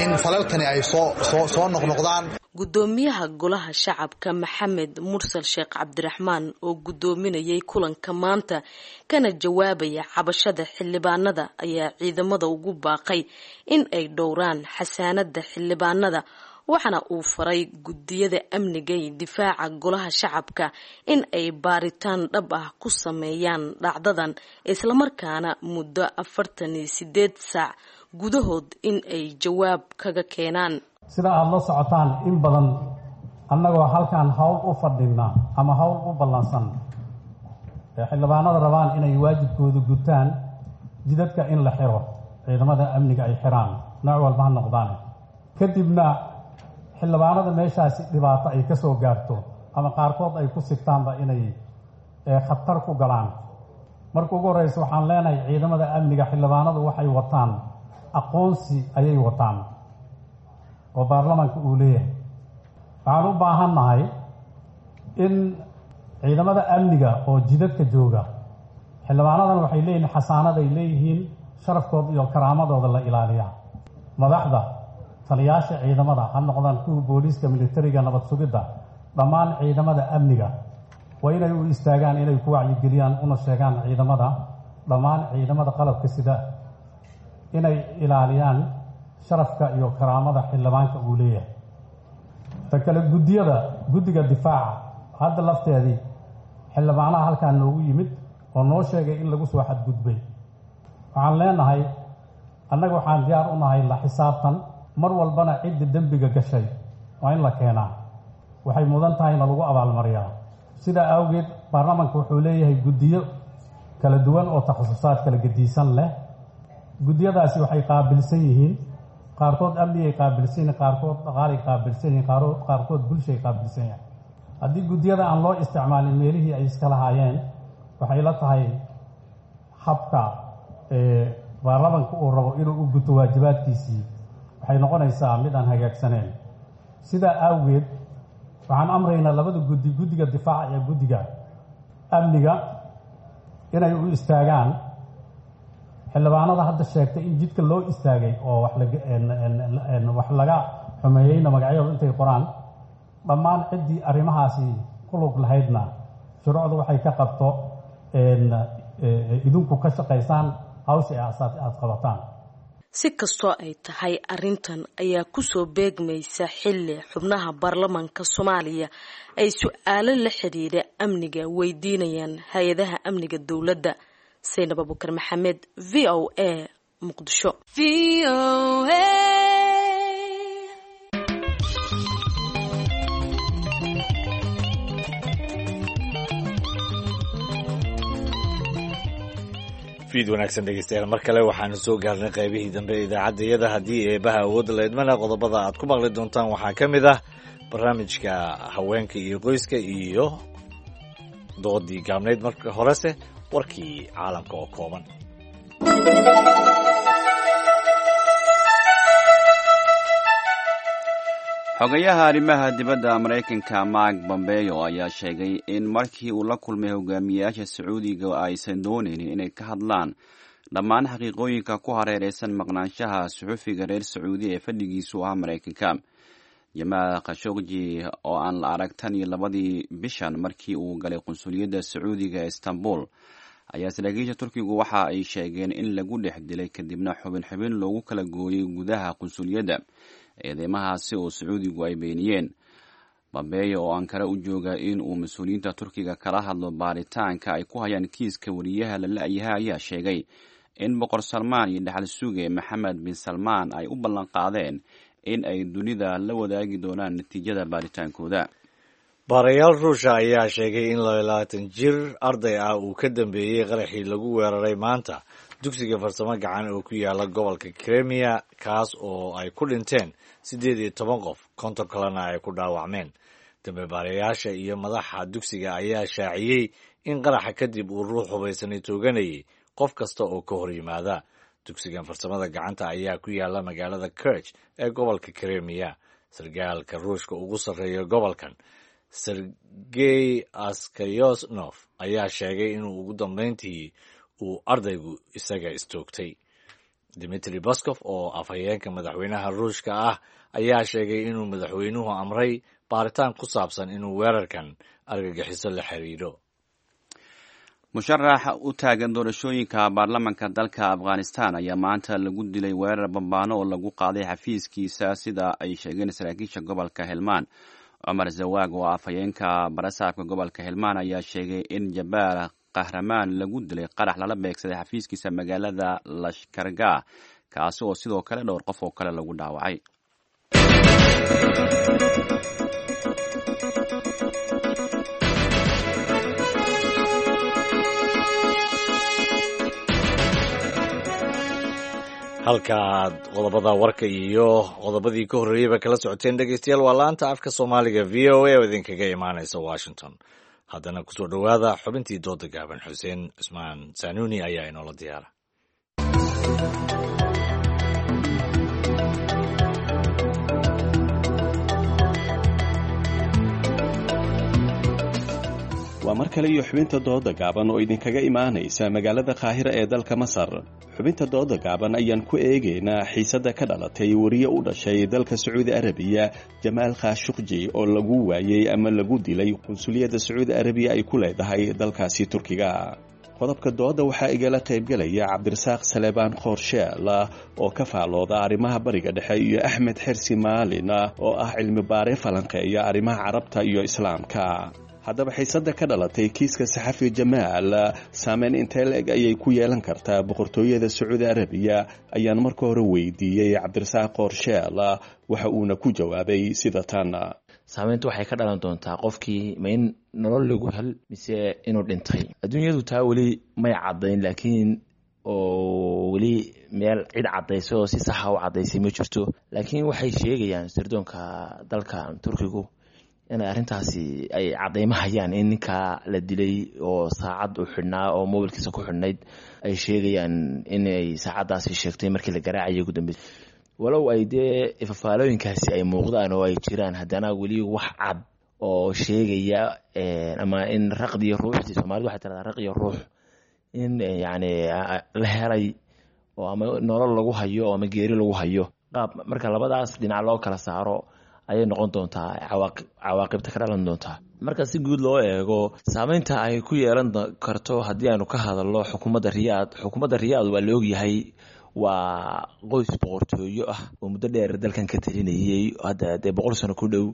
in falalkani ay soo noqnoqdaan. Gudoomiyaha golaha shacabka Maxamed Mursal Sheekh Cabdiraxmaan oo gudoominayay kulanka maanta kana jawaabaya cabashada xildhibaanada ayaa ciidamada ugu baaqay in ay dhowraan xasaanada xildhibaanada, waxaana uu faray guddiyada amniga iyo difaaca golaha shacabka in ay baaritaan dhab ah ku sameeyaan dhacdadan, islamarkaana muddo 48 saac gudahood in ay jawaab kaga keenaan. Sida aada la socotaan, in badan annagoo halkan hawl u fadhina ama hawl u ballansan ee xildhibaanada rabaan inay waajibkooda gutaan, jidadka in la xiro, ciidamada amniga ay xiraan nooc walba ha noqdaan, kadibna xildhibaanada meeshaasi dhibaato ay ka soo gaarto ama qaarkood ay ku sigtaanba inay khatar ku galaan. Marka ugu horreysa, waxaan leenahay ciidamada amniga, xildhibaanadu waxay wataan aqoonsi ayay wataan oo baarlamaanka uu leeyahay. Waxaan u baahannahay in ciidamada amniga oo jidadka jooga, xildhibaanadan waxay leeyihiin xasaanaday leeyihiin, sharafkooda iyo karaamadooda la ilaaliyaa. Madaxda taliyaasha ciidamada ha noqdaan kuwa booliiska, militariga, nabad sugidda, dhammaan ciidamada amniga waa inay u istaagaan inay ku wacyigeliyaan una sheegaan ciidamada, dhammaan ciidamada qalabka sida, inay ilaaliyaan sharafka iyo karaamada xildhibaanka uu leeyahay. Ta kale, guddiyada, guddiga difaaca hadda lafteedii xildhibaanaha halkaan noogu yimid oo noo sheegay in lagu soo xadgudbay. Waxaan leenahay annaga waxaan diyaar u nahay la xisaabtan mar walbana. Cidda dembiga gashay waa in la keenaa, waxay mudan tahayna lagu abaalmariyaa. Sidaa awgeed baarlamaanka wuxuu leeyahay guddiyo kala duwan oo takhasusaad kala gediisan leh. Guddiyadaasi waxay qaabilsan yihiin, qaarkood amnigay qaabilsan yihiin, qaarkood dhaqaalay qaabilsan yihiin, qaarkood bulshay qaabilsan yahay. Haddii guddiyada aan loo isticmaalin meelihii ay iska lahaayeen, waxay la tahay habka baarlamanka uu rabo inuu u guto waajibaadkiisii waxay noqonaysaa mid aan hagaagsaneyn. Sidaa awgeed waxaan amraynaa labada guddi, guddiga difaaca iyo guddiga amniga, inay u istaagaan xildhibaanada hadda sheegtay in jidka loo istaagay oo wax laga xumeeyeyna magacyadooda intay qoraan, dhammaan ciddii arrimahaasi ku lug lahaydna shuruucdu waxay ka qabto idinku ka shaqaysaan hawsha aad qabataan. Si kastoo ay tahay, arrintan ayaa kusoo beegmaysa xilli xubnaha baarlamaanka Soomaaliya ay su-aalo la xidhiidha amniga weydiinayaan hay-adaha amniga dowladda. Saynab Abukar Maxamed, VOA, Muqdisho. Fiid wanaagsan dhegeystayaal, mar kale waxaanu soo gaarnay qaybihii dambe ee idaacadda iyada. Haddii eebaha awoodda la idmana, qodobada aad ku maqli doontaan waxaa ka mid ah barnaamijka haweenka iyo qoyska iyo doodii gaabnayd. Marka horese warkii caalamka oo kooban. Xogayaha arrimaha dibadda Maraykanka Mark Bombeo ayaa sheegay in markii uu la kulmay hogaamiyayaasha Sacuudiga aysan doonaynin inay ka hadlaan dhammaan xaqiiqooyinka ku hareereysan maqnaanshaha suxufiga reer Sacuudiya ee fadhigiisu ahaa Maraykanka, Jamaal Khashogji, oo aan la arag tan iyo labadii bishan markii uu galay qunsuliyadda Sacuudiga ee Istanbul. Ayaa saraakiisha Turkigu waxa ay sheegeen in lagu dhex dilay, kadibna xubin xubin loogu kala gooyey gudaha qunsuliyadda, eedeymahaasi oo Sacuudigu ay beeniyeen. Bambeeyo oo Ankara u jooga in uu mas-uuliyiinta Turkiga kala hadlo baaritaanka ay ku hayaan kiiska wariyaha la la-yaha ayaa sheegay in Boqor Salmaan iyo dhaxal suge Maxamed bin Salmaan ay u ballanqaadeen in ay dunida la wadaagi doonaan natiijada baaritaankooda. Baarayaal Ruusha ayaa sheegay in 22 jir arday ah uu ka dambeeyey qaraxii lagu weeraray maanta dugsiga farsamo gacan oo ku yaala gobolka Kremiya, kaas oo ay ku dhinteen 18 qof, 50 kalena ay ku dhaawacmeen. Dambe baarayaasha iyo madaxa dugsiga ayaa shaaciyey in qaraxa kadib uu ruux hubaysanay tooganayay qof kasta oo ka hor yimaada. Dugsigan farsamada gacanta ayaa ku yaala magaalada Kerch ee gobolka Kremiya. Sargaalka Ruushka ugu sarreeya gobolkan, Sergey Askayosnof, ayaa sheegay inuu ugu dambeyntii uu ardaygu isaga istoogtay. Dimitri Baskof oo afhayeenka madaxweynaha Ruushka ah ayaa sheegay inuu madaxweynuhu amray baaritaan ku saabsan inuu weerarkan argagixiso la xiriiro. Musharax u taagan doorashooyinka baarlamanka dalka Afghanistan ayaa maanta lagu dilay weerar bambaano oo lagu qaaday xafiiskiisa, sida ay sheegeen saraakiisha gobolka Helmaan. Cumar Zawaag oo afhayeenka barasaabka gobolka Helmaan ayaa sheegay in Jabaar Kahramaan lagu dilay qarax lala beegsaday xafiiskiisa magaalada Lashkargah, kaasi oo sidoo kale dhowr qof oo kale lagu dhaawacay. Halkaaad qodobada warka iyo qodobadii ka horreeyeyba kala socoteen, dhegeystayaal, waa laanta afka Soomaaliga VOA oo idinkaga imaanaysa Washington. Haddana kusoo dhowaada xubintii dooda gaaban. Xuseen Cusmaan Sanuuni ayaa inoola diyaara. Waa mar kale iyo xubinta dooda gaaban oo idinkaga imaanaysa magaalada Qaahira ee dalka Masar. Xubinta dooda gaaban ayaan ku eegaynaa xiisadda ka dhalatay wariye u dhashay dalka Sacuudi Arabiya, Jamaal Khashuqji, oo lagu waayey ama lagu dilay qunsuliyadda Sacuudi Arabiya ay ku leedahay dalkaasi Turkiga. Qodobka dooda waxaa igala qaybgalaya Cabdirasaaq Saleebaan Qoorsheel oo ka faalooda arrimaha Bariga Dhexe iyo Axmed Xersi Maalin oo ah cilmi baare falanqeeya arrimaha Carabta iyo Islaamka. Haddaba, xiisadda ka dhalatay kiiska saxafi Jamaal saameyn intee la-eg ayay ku yeelan kartaa boqortooyada Sacuudi Arabiya, ayaan marka hore weydiiyey Cabdirasaaq Qoorsheel, waxa uuna ku jawaabay sida tan. Saameyntu waxay ka dhalan doontaa qofkii ma in nolol lagu hel mise inuu dhintay. Adduunyadu taa weli may caddayn, laakiin oo weli meel cid caddaysay oo si saxa u caddaysay ma jirto, laakiin waxay sheegayaan sirdoonka dalka Turkigu inay arrintaasi ay caddaymo hayaan in ninkaa la dilay oo saacad u xidhnaa oo mobilkiisa ku xidhnayd ay sheegayaan inay saacaddaasi sheegtay markii la garaacayay ugu dambeysay. Walow ay dee fafaalooyinkaasi ay muuqdaan oo ay jiraan, haddana weli wax cad oo sheegaya ama in raqdiyo ruuxdii, Soomaalida waxay tiradaa raqiyo ruux, in yacni la helay oo ama nolol lagu hayo oo ama geeri lagu hayo, qaab marka labadaas dhinac loo kala saaro ayay noqon doontaa cawaaqibta ka dhalan doontaa. Marka si guud loo eego saameynta ay ku yeelan karto, haddii aanu ka hadalno xukuumadda Riyaad, xukuumadda Riyaad waa la ogyahay, waa qoys boqortooyo ah oo muddo dheer dalkan ka talinayay, hadda dee 100 sano ku dhow.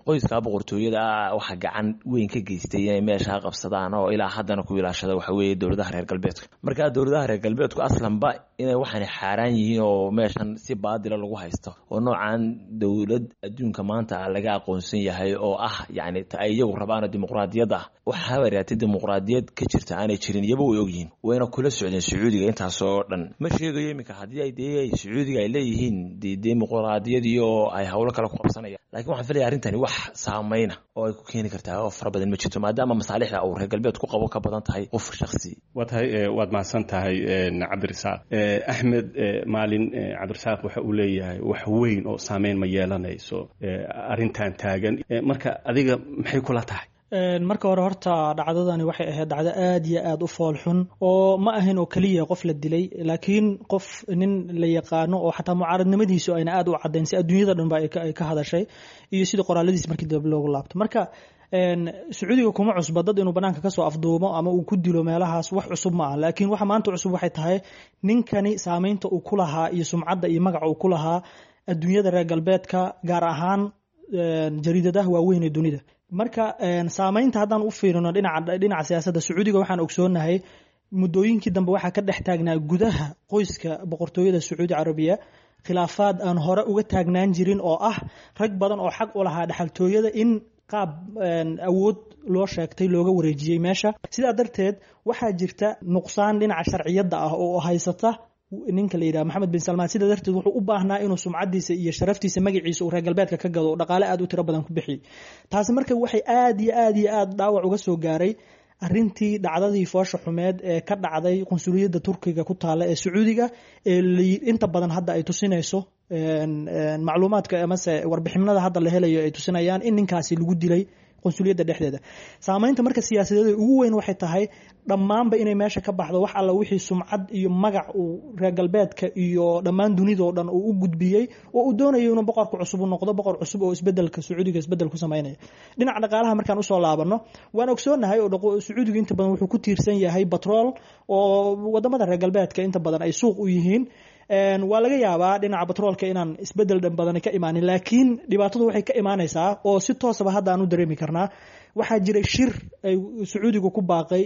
Qoyskaa boqortooyada ah waxaa gacan weyn ka geystay inay meeshaa qabsadaan oo ilaa haddana ku ilaashada waxa weeye dowladaha reer galbeedka. Marka dowladaha reer galbeedku aslanba inay waxaan xaaraan yihiin oo meeshan si baadila lagu haysto oo noocan dowlad adduunka maanta laga aqoonsan yahay oo ah yacni ta ay iyagu rabaano dimuqraadiyadda ah, waxaaba raatay dimuqraadiyad ka jirta aanay jirin, iyaba way ogyihiin, wayna kula socdeen Sacuudiga intaasoo dhan. Ma sheegayo iminka haddii ay dee Sacuudiga ay leeyihiin dimuqraadiyadii oo ay howlo kale ku qabsanayaan, lakiin waxaan filaya arrintani wax saameyna oo ay ku keeni kartaa oo fara badan ma jirto, maadaama masaalixda uu reer galbeed ku qabo ka badan tahay qof shakhsi. Waa tahay, waad mahadsan tahay, Cabdirasaaq. Axmed Maalin, Cabdirasaaq waxa uu leeyahay wax weyn oo saameyn ma yeelanayso arrintan taagan. Marka adiga maxay kula tahay? Marka hore horta dhacdadani waxay ahayd dhacdo aad iyo aad u fool xun, oo ma ahayn oo keliya qof la dilay, laakiin qof nin la yaqaano oo xataa mucaaradnimadiisu ayna aad u caddayn si adduunyada dhan ba ay ka hadashay iyo sidii qoraaladiis markii dib loogu laabto. Marka Sacuudiga kuma cusba dad inuu banaanka kasoo afduumo ama uu ku dilo meelahaas, wax cusub ma ah. Laakiin waxa maanta cusub waxay tahay ninkani saameynta uu ku lahaa iyo sumcadda iyo magaca uu ku lahaa adduunyada reer galbeedka, gaar ahaan jariidadaha waaweyn ee dunida. Marka saameynta haddaan u fiirino dhinaca siyaasadda Sacuudiga, waxaan ogsoonahay muddooyinkii dambe waxaa ka dhex taagnaa gudaha qoyska boqortooyada Sacuudi Carabiya khilaafaad aan hore uga taagnaan jirin, oo ah rag badan oo xaq u lahaa dhexaltooyada in qaab awood loo sheegtay looga wareejiyey meesha. Sidaa darteed waxaa jirta nuqsaan dhinaca sharciyadda ah oo haysata ninka la yidhaha Maxamed bin Salmaan. Sidaa darteed wuxuu u baahnaa inuu sumcadiisa iyo sharaftiisa, magaciisa uu reer galbeedka ka gado oo dhaqaale aad u tiro badan ku bixiyey. Taasi marka waxay aad iyo aad iyo aad dhaawac uga soo gaaray arrintii dhacdadii foosha xumeed ee ka dhacday qunsuliyadda Turkiga ku taalla ee Sacuudiga, ee inta badan hadda ay tusinayso macluumaadka amase warbixinada hadda la helayo ay tusinayaan in ninkaasi lagu dilay qunsuliyadda dhexdeeda. Saameynta marka siyaasadeed ugu weyn waxay tahay dhammaanba inay meesha ka baxdo wax alla wixii sumcad iyo magac uu reer galbeedka iyo dhammaan dunidoo dhan uu u gudbiyey oo uu doonayo inuu boqorka cusub u noqdo boqor cusub oo isbedelka Sacuudiga isbedel ku sameynaya. Dhinaca dhaqaalaha markaan usoo laabano, waan ogsoonahay oo Sacuudiga inta badan wuxuu ku tiirsan yahay batrool oo wadamada reer galbeedka inta badan ay suuq u yihiin. Waa laga yaabaa dhinaca batroolka inaan isbedel dhan badan ka imaanin, laakiin dhibaatadu waxay ka imaanaysaa oo si toosaba hadda aan u dareemi karnaa. Waxaa jiray shir ay Sacuudigu ku baaqay,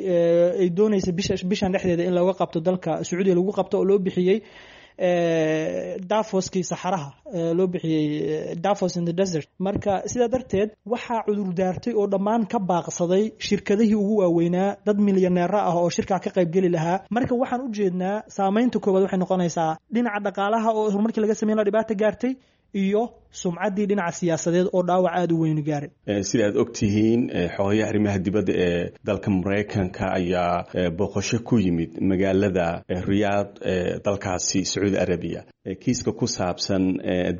ay doonaysa bishan dhexdeeda in looga qabto dalka Sacuudiga lagu qabto, oo loo bixiyey Davoskii saxaraha loo bixiyey, Davos in the desert. Marka sidaa darteed waxaa cudurdaartay oo dhammaan ka baaqsaday shirkadihii ugu waaweynaa, dad milyaneero ah oo shirkaa ka qaybgeli lahaa. Marka waxaan u jeednaa saameynta koowaad waxay noqonaysaa dhinaca dhaqaalaha oo horumarkii laga sameyn lahaa dhibaata gaartay, iyo sumcaddii dhinaca siyaasadeed oo dhaawac aada u weynu gaaray. Sida aad og tihiin, xogayaha arrimaha dibadda ee dalka Maraykanka ayaa booqasho ku yimid magaalada Riyaad ee dalkaasi Sacuudi Arabiya. Kiiska ku saabsan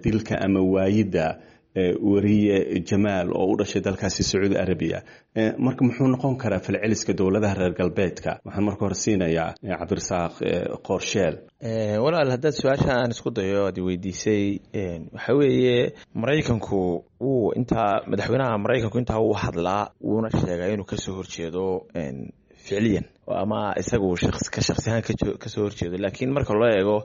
dilka ama waayidda weriye Jamaal oo u dhashay dalkaasi Sacuudi Arabiya, marka muxuu noqon karaa falceliska dowladaha reer galbeedka? Waxaan marka hore siinayaa Cabdirasaaq Qoorsheel. Walaal, haddaad su-aasha aan isku dayo aad weydiisay, waxa weeye Maraykanku wuu intaa, madaxweynaha Maraykanku intaa wuu hadlaa, wuuna sheegaa inuu kasoo horjeedo ficliyan ama isagu ka shaksi ahaan kasoo horjeedo, laakiin marka loo eego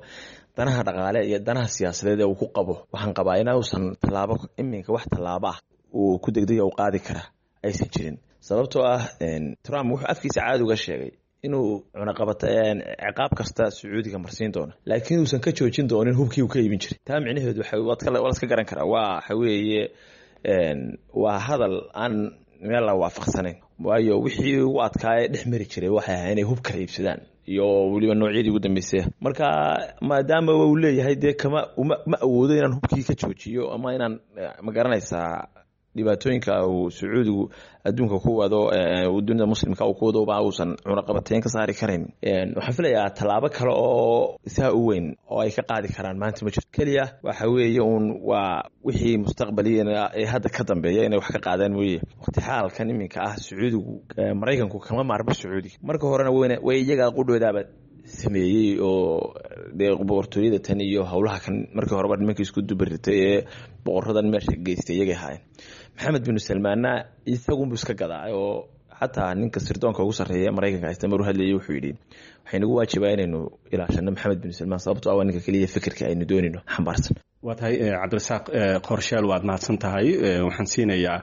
danaha dhaqaale iyo danaha siyaasadeed ee uu ku qabo, waxaan qabaa inuusan tallaabo iminka wax tallaabo ah uu ku degdega u qaadi kara aysan jirin, sababtoo ah Trump wuxuu afkiisa caadi uga sheegay inuu cunaqabata ciqaab kasta Sacuudiga marsiin doono, laakiin uusan ka joojin doonin hubkii uu ka iibin jiray. Taa micnaheedu waa laska garan karaa, waa waxa weeye waa hadal aan meel la waafaqsanayn, waayo wixii ugu adkaaya dhex mari jiray waxay ahay inay hub kala iibsadaan iyo weliba noocyadii ugu dambeysay. Marka maadaama uu leeyahay dee kama ma awoodo inaan hubkii ka joojiyo ama inaan ma garanaysaa dhibaatooyinka uu Sacuudigu adduunka ku wado, dunida muslimka uu ku wado, ba uusan cunaqabateyn ka saari karayn. Waxaan filayaa tallaabo kale oo saa u weyn oo ay ka qaadi karaan maanta ma jirto. Keliya waxa weeye uun waa wixii mustaqbaliyana ee hadda ka dambeeya inay wax ka qaadaan mooye. Waqti xaalkan iminka ah Sacuudigu, Maraykanku kama maarmo Sacuudiga. Marka horena weyna way iyaga qudhoodaaba sameeyey oo dee boqortooyada tan iyo howlaha kan markii horeba nimankii isku dubaritay ee boqoradan meesha geystay iyagay ahaayeen. Maxamed binu Salmaanna isagunbu iska gadaa, oo xataa ninka sirdoonka ugu sarreeya Maraykanka haysta maruu hadlayay wuxuu yidhi waxay nagu waajibaa inaynu ilaashano Maxamed binu Salmaan, sababtoo ah waa ninka keliya fikirka aynu doonayno xambaarsan. Waa tahay Cabdirasaaq Qoorsheel, waad mahadsan tahay. Waxaan siinayaa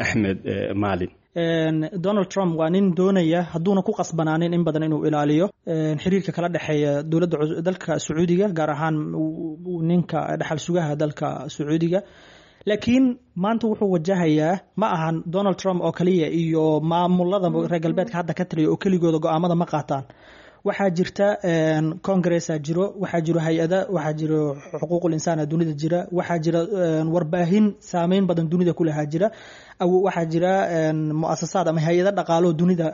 Axmed Maalin. Donald Trump waa nin doonaya, hadduuna ku qasbanaanin in badan, inuu ilaaliyo xiriirka kala dhexeeya dowladda dalka Sacuudiga, gaar ahaan ninka dhaxal sugaha dalka Sacuudiga. Laakiin maanta wuxuu wajahayaa ma ahan Donald Trump oo kaliya iyo maamulada reer galbeedka hadda ka taliya oo keligooda go-aamada ma qaataan. Waxaa jirta congressa jiro, waxaa jiro hay-ada, waxaa jiro xuquuqul insaana dunida jira, waxaa jira warbaahin saameyn badan dunida kulahaa jira, waxaa jira muasasaad ama hay-ado dhaqaaloo dunida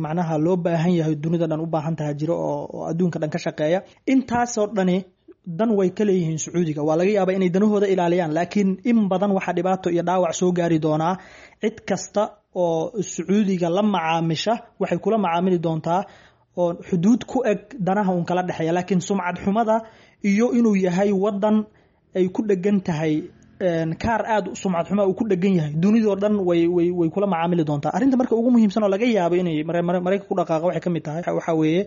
macnaha loo baahan yahay, dunida dhan u baahan taha jiro oo adduunka dhan ka shaqeeya. Intaasoo dhani dan way ka leeyihiin Sacuudiga. Waa laga yaabaa inay danahooda ilaaliyaan, laakiin in badan waxaa dhibaato iyo dhaawac soo gaari doonaa cid kasta oo Sacuudiga la macaamisha. Waxay kula macaamili doontaa oo xuduud ku eg danaha uun kala dhexeeya, laakiin sumcad xumada iyo inuu yahay wadan ay ku dhegan tahay kaar aada sumcad xuma uu ku dhegan yahay dunidoo dhan way way way kula macaamili doontaa. Arrinta marka ugu muhiimsan oo laga yaabo inay Maraykanka ku dhaqaaqa waxay ka mid tahay waxaa weeye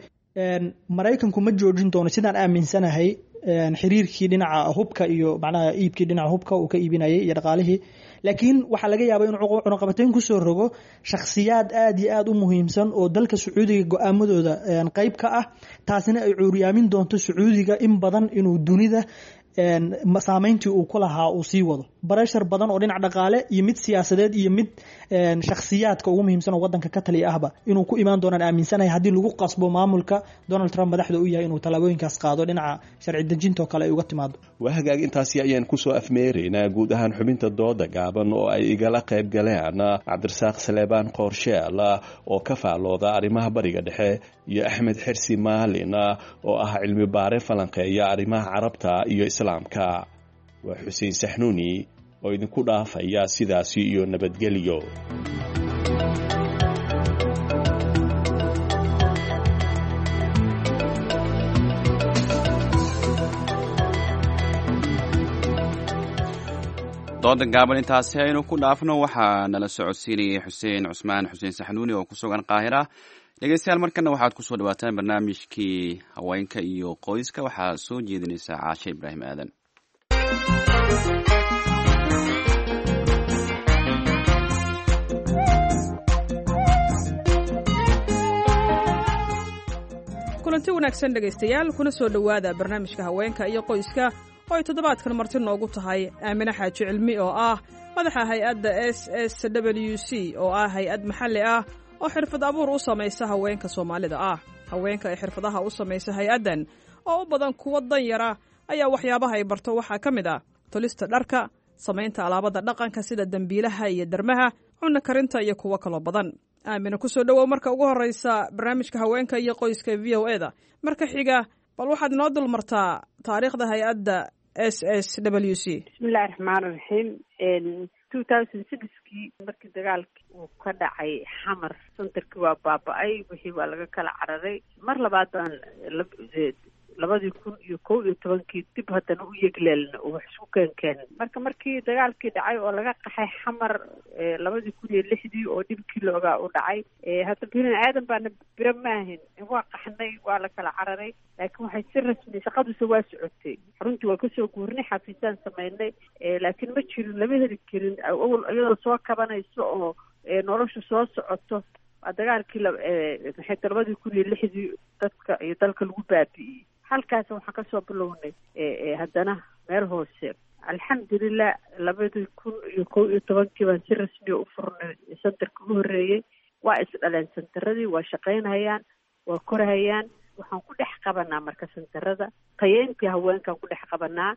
Maraykanku ma joojin doono, sidaan aaminsanahay, xiriirkii dhinaca hubka iyo macnaha iibkii dhinaca hubka uu ka iibinayay iyo dhaqaalihii, laakiin waxaa laga yaabaa inuu cunaqabateyn kusoo rogo shakhsiyaad aada iyo aada u muhiimsan oo dalka Sacuudiga go-aamadooda qeyb ka ah, taasina ay cuuryaamin doonto Sacuudiga in badan inuu dunida saameyntii uu ku lahaa uu sii wado. Bareshar badan oo dhinac dhaqaale iyo mid siyaasadeed iyo mid shakhsiyaadka ugu muhiimsan oo wadanka ka taliya ahba inuu ku imaan doonaan aaminsanahay, haddii lagu qasbo maamulka Donald Trump madaxda u yahay inuu tallaabooyinkaas qaado dhinaca sharci dejinta oo kale ay uga timaado. Waa hagaag, intaasi ayaan kusoo afmeeraynaa guud ahaan xubinta dooda gaaban oo ay igala qayb galeen Cabdirasaaq Saleebaan Qoorsheel oo ka faalooda arrimaha Bariga Dhexe iyo Axmed Xersi Maalin oo ah cilmi baare falanqeeya arrimaha Carabta iyo Islaamka. Waa Xuseen Saxnuuni oo idinku dhaafaya sidaasi iyo nabadgelyo. Dooda gaaban intaasi aynu ku dhaafno. Waxaa nala socodsiinayay Xuseen Cusmaan Xuseen Saxnuuni oo ku sugan Qaahira. Dhegeystayaal, markana waxaad kusoo dhawaataan barnaamijkii haweenka iyo qoyska. Waxaa soo jeedinaysa Caashe Ibraahim Aadan. Kulanti wanaagsan dhegaystayaal, kuna soo dhowaada barnaamijka haweenka iyo qoyska oo ay toddobaadkan marti noogu tahay Aamine Xaaji Cilmi oo ah madaxa hay-adda S S W C oo ah hay-ad maxalli ah oo xirfad abuur u samaysa haweenka Soomaalida ah. Haweenka ay xirfadaha u samaysa hay-addan oo u badan kuwo danyara ayaa waxyaabaha ay barto waxaa ka mid ah tolista dharka, samaynta alaabada dhaqanka sida dembiilaha iyo dermaha, cunno karinta iyo kuwo kaloo badan. Aamina, kusoo dhowow marka ugu horreysa barnaamijka haweenka iyo qoyska V O E da. Marka xiga, bal waxaad inoo dulmartaa taariikhda hay-adda S S W C. Bismillahi raxmaan raxiim. 2006-kii markii dagaalkii uu ka dhacay Xamar, centerkii waa baaba-ay, wixii waa laga kala cararay. Mar labaad baan 2011-kii dib haddana u yegleelna oo wax isku keenkeen. Marka markii dagaalkii dhacay oo laga qaxay Xamar 2006-dii oo dhibkii loogaa u dhacay, hadda bini aadan baana biro maahin, waa qaxnay, waa la kala cararay, laakiin waxay si rasmi shaqaduse waa socotay. Xaruntii waa kasoo guurnay, xafiisaan samaynay, laakiin ma jirin, lama heli karin awal iyadoo soo kabanayso oo noloshu soo socoto. Waa dagaalkii maxay 2006-dii dadka iyo dalka lagu baabi'iyey. Halkaas waxaan kasoo bilownay haddana meel hoose. Alxamdulilah, 2011-kii baan si rasmiya u furnay centerka ugu horreeyey. Waa isdhaleen centeradii, waa shaqaynhayaan, waa korhayaan. Waxaan ku dhex qabanaa marka centerada tayeyntii haweenkaan ku dhex qabanaa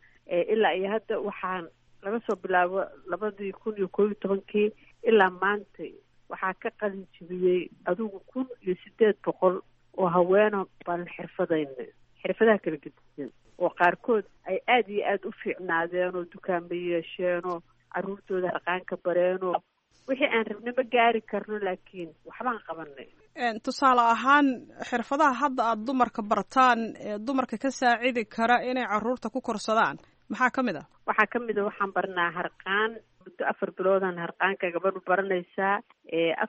ilaa iyo hadda. Waxaan laga soo bilaabo 2011-kii ilaa maanta waxaa ka qalin jibiyey adigu 1800 oo haweeno baan xirfadayna, xirfadaha kala gedisan, oo qaarkood ay aada iyo aada u fiicnaadeen oo dukaanba yeesheenoo carruurtooda harqaanka bareenoo wixii aan rabna ma gaari karno, laakiin waxbaan qabanay. Tusaale ahaan, xirfadaha hadda aada dumarka bartaan ee dumarka ka saacidi kara inay carruurta ku korsadaan maxaa ka mid ah? Waxaa ka mid a waxaan barnaa harqaan. Muddo 4 biloodaan harqaanka gabadhu baranaysaa.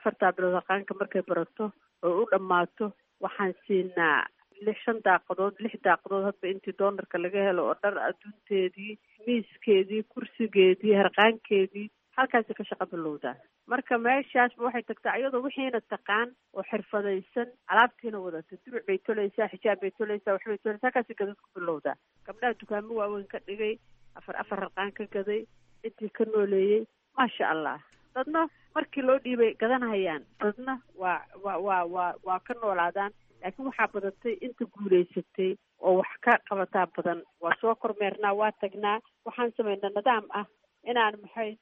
4-taa bilood harqaanka markay barato oo u dhammaato, waxaan siinaa lix, shan daaqadood, lix daaqadood, hadba intii doonarka laga helo, oo dhar adduunteedii, miiskeedii, kursigeedii, harqaankeedii halkaasi ka shaqo bilowdaa. Marka meeshaasba waxay tagtaa iyadoo wixiina taqaan oo xirfadaysan, alaabtiina wadata, duruc bay tolaysaa, xijaab bay tolaysaa, waxbay tolaysaa, halkaasi gadad ku bilowdaa. Gabdhaha dukaamo waaweyn ka dhigay, afar afar harqaan ka gaday, intii ka nooleeyey, maasha Allah. Dadna markii loo dhiibay gadanhayaan, dadna waa waa waa waa waa ka noolaadaan, laakiin waxaa badatay inta guulaysatay oo wax ka qabataa badan. Waa soo kormeernaa, waa tagnaa, waxaan samaynaa nidaam ah inaan maxay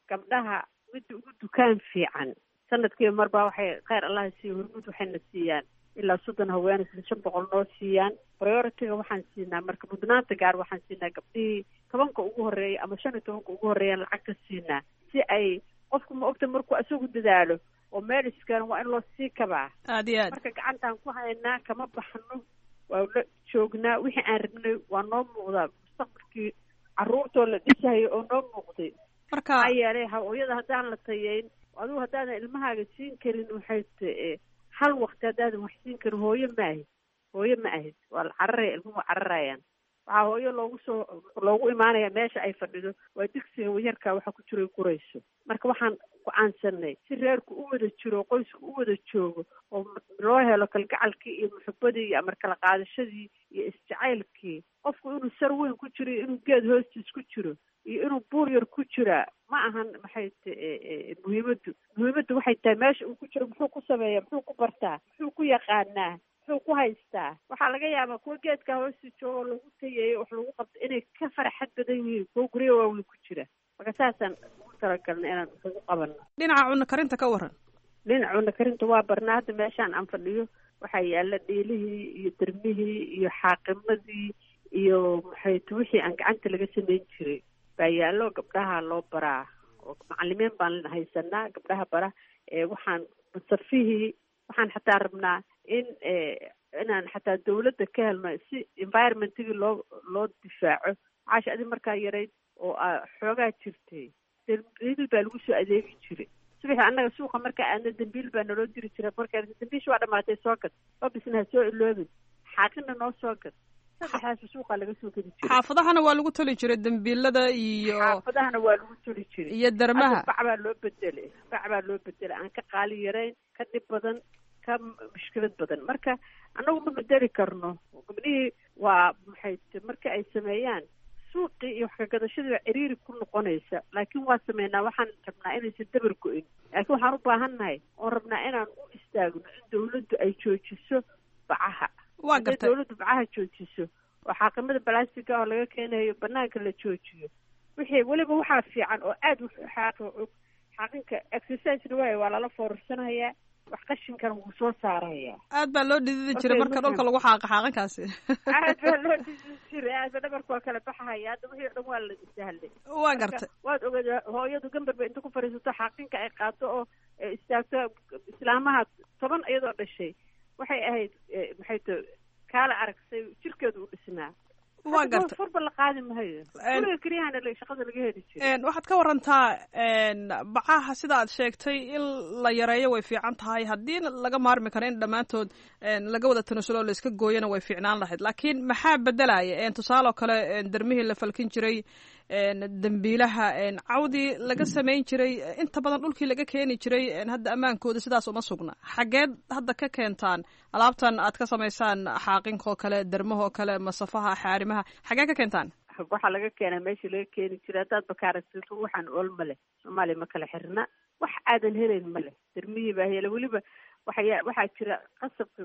gabdhaha midda ugu dukaan fiican sanadkiiba marbaa waxay kheyr Allaha siiyo Hormuud waxayna siiyaan ilaa 30 haween, isla 500 noo siiyaan. Priority-ga waxaan siinaa marka mudnaanta gaar waxaan siinaa gabdhihii 10-ka ugu horreeya ama 15-ka ugu horreeyaan lacagta siinaa, si ay qofku ma ogta markuu isagu dadaalo oo meel iskeeno waa in loo sii kabaa. Aad iyo aad. Marka gacantaan ku haynaa, kama baxno, waa la joognaa. Wixii aan rabnay waa noo muuqdaa, mustaqbalkii carruurtoo la dhisayo oo noo muuqday. Marka maxaa yeelay hooyada haddaan la tayeyn, adigu haddaadan ilmahaaga siin karin waxay hal waqti haddaadan wax siin karin, hooyo ma ahid, hooyo ma ahid. Waa la cararaya, ilmuhu waa cararayaan. Waxaa hooyo loogu soo loogu imaanaya meesha ay fadhido waa digsiga yarkaa waxa ku jiro gurayso. Marka waxaan go-aansanay si reerku u wada jiro, qoysku u wada joogo oo loo helo kalgacalkii iyo muxubadii iyo amar kala qaadashadii iyo isjacaylkii, qofku inuu sar weyn ku jiro iyo inuu geed hoostiis ku jiro iyo inuu buur yar ku jiraa ma ahan. Maxay muhiimaddu? Muhiimaddu waxay tahay meesha uu ku jiro muxuu ku sameeya, muxuu ku bartaa, muxuu ku yaqaanaa, muxuu ku haystaa. Waxaa laga yaabaa kuwa geedka hoosti joogo lagu tayeeyo, wax lagu qabto, inay ka farxad badan yihiin kuwa guryo waaweyn ku jira. Marka saasaan ugu talagalnay inaan wax ugu qabano. Dhinaca cunno karinta ka waran? Dhinaca cunno karinta waa barnaa. Hadda meeshaan aan fadhiyo waxaa yaala dhiilihii iyo dermihii iyo xaaqimadii iyo maxayt wixii aan gacanta laga samayn jiray baa yaallo. Gabdhaha loo baraa oo macalimiin baan haysanaa gabdhaha bara. Waxaan masafihii waxaan xataa rabnaa in inaan xataa dawladda ka helno si environmentigii loo difaaco. Caasha, adi markaa yarayd oo xoogaa jirtay, dambiil baa lagu soo adeegi jiray subaxii. Annaga suuqa markaa aadna dambiil baa naloo diri jiray. Markaa dambiisha waa dhamaatay, soo gad, babisna ha soo iloobin, xaaqina noo soo gad. Saddexdaas suuqa laga soo gedi jiray. Xaafadahana waa lagu toli jiray dambiilada iyo Xaafadahana waa lagu toli jiray. Iyo darmaha. Hadda bac baa loo bedelay, bac baa loo bedelay aan ka qaali yarayn, ka dhib badan, ka mushkilad badan. Marka annagu ma bedeli karno. Gabdhihii waa maxay marka ay sameeyaan suuqii iyo wax kagadashadii baa ciriiri ku noqonaysa, laakiin waa sameynaa. Waxaan rabnaa inaysan dabar go-in, laakiin waxaan u baahannahay oon rabnaa inaan u istaagno in dawladdu ay joojiso bacaha. Waa gartay. Dawladdu bacaha joojiso oo xaaqimada balastiga oo laga keenayo banaanka la joojiyo. Wixii weliba waxaa fiican oo aada wax xaaqi og xaaqinka exercisena waayo, waa lala foorarsanayaa, wax qashinkana wuu soo saarayaa. Aad baa loo dhididi jiray marka dhulka lagu xaaqa xaaqinkaasi. Aad baa loo dhididi jiray, aad ba dhabarka waa kala baxahaya. Hadda wixii o dhan waa la sahlay. Waa gartay. Waad ogeed hooyadu gambar ba inta ku fadhiisato xaaqinka ay qaato oo istaagto islaamaha 10 iyadoo dhashay waxay ahayd maxay to kaala aragsay jirkeedu u dhisnaa. Waa gartay. Furba la qaadi mahayo, guriga keliyahana shaqada laga heli jiray. Waxaad ka warantaa bacaha sida aad sheegtay in la yareeyo way fiican tahay, haddii laga maarmi karo in dhammaantood laga wada tanasulo oo la iska gooyana way fiicnaan lahayd, laakiin maxaa bedelaya? Tusaale oo kale dermihii la falkin jiray, dambiilaha cawdii laga samayn jiray, inta badan dhulkii laga keeni jiray, hadda ammaankooda sidaas uma sugna. Xageed hadda ka keentaan alaabtan aad ka samaysaan xaaqinkoo kale, dermahoo kale, masafaha, xaarimaha, xagee ka keentaan? Waxaa laga keenaa meeshii laga keeni jiray. Haddaad bakaaragtito waxaan ool ma leh, Soomaaliya ma kala xirna, wax aadan helayn ma leh. Dermihii baa hela weliba. Waxaya waxaa jira qasabka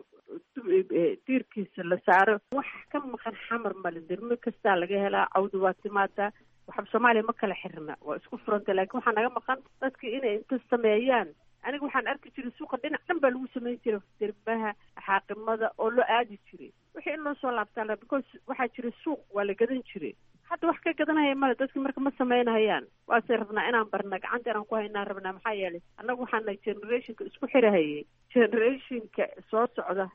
diirkiisa la saaro, wax ka maqan xamar male. Dermo kastaa laga helaa, cawdi waa timaadaa. Waxba Soomaaliya ma kala xirna, waa isku furanta, laakiin waxaa naga maqan dadka inay inta sameeyaan. Aniga waxaan arki jiray suuqa dhinac dhan baa lagu samayn jiray dermaha, xaaqimada oo loo aadi jiray. Wixii in loo soo laabtaan, because waxaa jira suuq waa la gadan jiray. Hadda wax ka gadanaya male dadki, marka ma samaynahayaan. Waase rabnaa inaan barna, gacanta inaan ku haynaan rabnaa. Maxaa yeelay annagu waxaana generationka isku xirahayay, generationka soo socda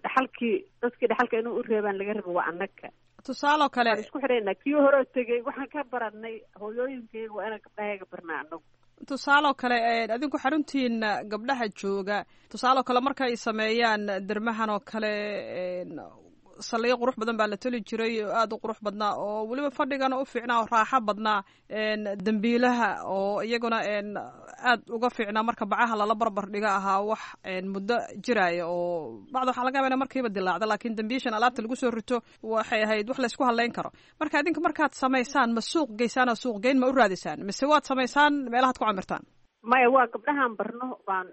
dhaxalkii dadkii dhaxalka inuu u reebaan laga rabo waa annaga. Tusaaloo kale waan isku xiraynaa. Kii horeo tegey waxaan ka baranay hooyooyinkayaga, waa inaan gabdhahayaga barnaa annagu. Tusaaloo kale adinku xaruntiina gabdhaha jooga, tusaaloo kale markay sameeyaan dermahan oo kale, saliyo qurux badan baa la toli jiray oo aada u qurux badnaa oo weliba fadhigana u fiicnaa oo raaxo badnaa, dambiilaha oo iyaguna aad uga fiicnaa marka bacaha lala barbar dhiga ahaa wax muddo jiraya oo bacda waxaa laga yaba ina markiiba dilaacda, laakiin dambiishan alaabta lagu soo rito waxay ahayd wax laysku hadlayn karo. Marka idinka markaad samaysaan ma suuq geysaan oo suuq geyn ma u raadisaan, mise waad samaysaan meelahaad ku camirtaan? Maya, waa gabdhahaan barno baan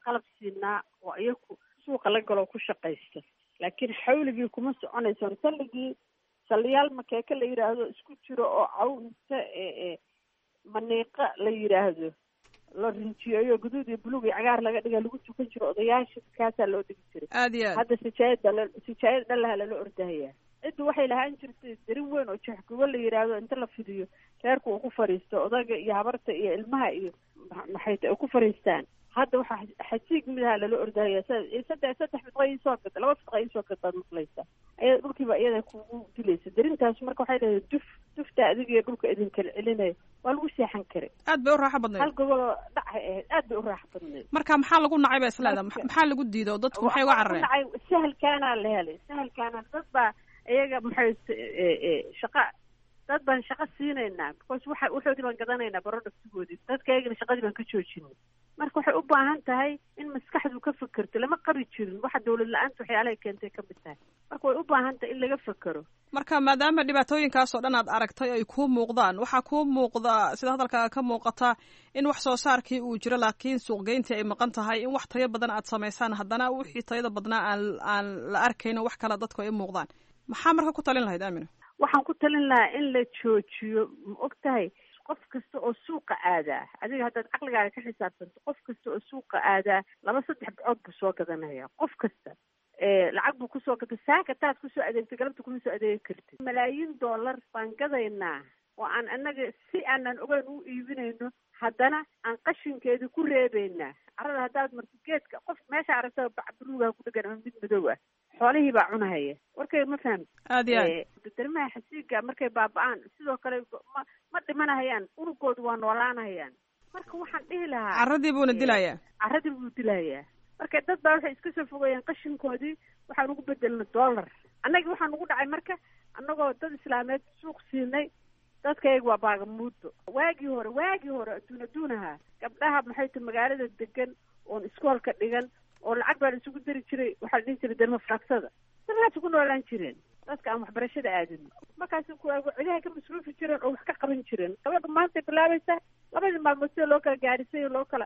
qalab siinaa oo iyaku suuqa la galoo ku shaqaysta, laakiin xawligii kuma soconayso. Salligii saliyaal makeeke la yidhaahdo isku jiro oo caw inta maniiqa la yidhaahdo la rinjiyeeyo, guduud iyo buluug iyo cagaar laga dhiga, lagu tukan jiro odayaasha, kaasaa loo dhigi jiray. Aad iyo aad. Hadda sijaayad baa sijaayad dhalaha lala ordahayaa. Ciddu waxay lahaan jirtay darin weyn oo jeexgubo la yidhaahdo, inta la fidiyo reerku uu ku fadhiisto, odaga iyo habarta iyo ilmaha iyo maxay ta ku fadhiistaan. Hadda waxaa xasiig midaha lala ordahaya, saddex fidqa iisoo gad, 2 fidqa iisoo gad baad maqlaysaa. Ayada dhulkiiba iyada kugu dilaysa darintaas. Marka waxay leedahay duf dufta adiga iyo dhulka idin kala celinaya, waa lagu seexan karay. Aad bay u raaxo badnayd. Hal goboloo dhacay ahayd, aad bay u raaxo badnayd. Marka maxaa lagu nacay ba isleedahay? Maxaa lagu diido dadku maxay uga carareen? Nacay sahalkaanaa la helay, sahalkaana dad baa iyaga maxay shaqa, dad baan shaqo siinaynaa because waxa waxoodii baan gadanaynaa productgoodii, dadka iyagana shaqadii baan ka joojinay. Marka waxay u baahan tahay in maskaxdu ka fekerto. Lama qabi jirin waxa dawlad la-aanta waxyaalahay keentay ka mid tahay. Marka way u baahan tahay in laga fekero. Marka maadaama dhibaatooyinkaas oo dhan aad aragtay ay kuu muuqdaan, waxaa kuu muuqda sida hadalkaaga ka muuqata in wax soo saarkii uu jiro laakiin suuqgeyntii ay maqan tahay, in wax tayo badan aad samaysaan haddana wixii tayada badnaa aan la arkayno, wax kale dadku ay u muuqdaan. Maxaa marka ku talin lahayd, Aamina? Waxaan ku talin lahaa in la joojiyo. Ma og tahay qof kasta oo suuqa aadaa, adiga haddaad caqligaaga ka xisaabtanto, qof kasta oo suuqa aadaa 2 3 bacood buu soo gadanaya. Qof kasta lacag buu kusoo gata. Saaka taad kusoo adeegtay galabta kuma soo adeegi kartid. Malaayiin dollar baan gadaynaa oo aan annaga si aanan ogeyn u iibinayno, haddana aan qashinkeedii ku reebaynaa carrada. Haddaad marto geedka qof meesha aragta bac buluugaha ku dhegan ama mid madow ah, xoolihii baa cunahaya. Warkayga ma fahamti? Aad iyo aad. Darmaha xasiiga markay baaba-aan sidoo kale ma dhimanahayaan, unugoodu waa noolaanahayaan. Marka waxaan dhihi lahaa carradii buuna dilayaa. Carradii buu dilayaa. Marka dad baa waxay iska soo fogeeyeen qashinkoodii, waxaan ugu bedelnay dollar. Annagii waxaa nugu dhacay marka annagoo dad islaameed suuq siinay, dadkayaga waa baagamuudo. Waagii hore adduun adduun ahaa, gabdhaha maxay tahay magaalada degan oon iskoolka dhigan oo lacag baa la isugu dari jiray. Waxaa la dhihi jiray derma faragsada, darmahaas ku noolaan jireen dadka aan waxbarashada aadin. Markaas cidaha ka masruufi jireen oo wax ka qaban jireen. Gabadha maantay bilaabaysaa labadii maalmood sida loo kala gaadhisay loo kala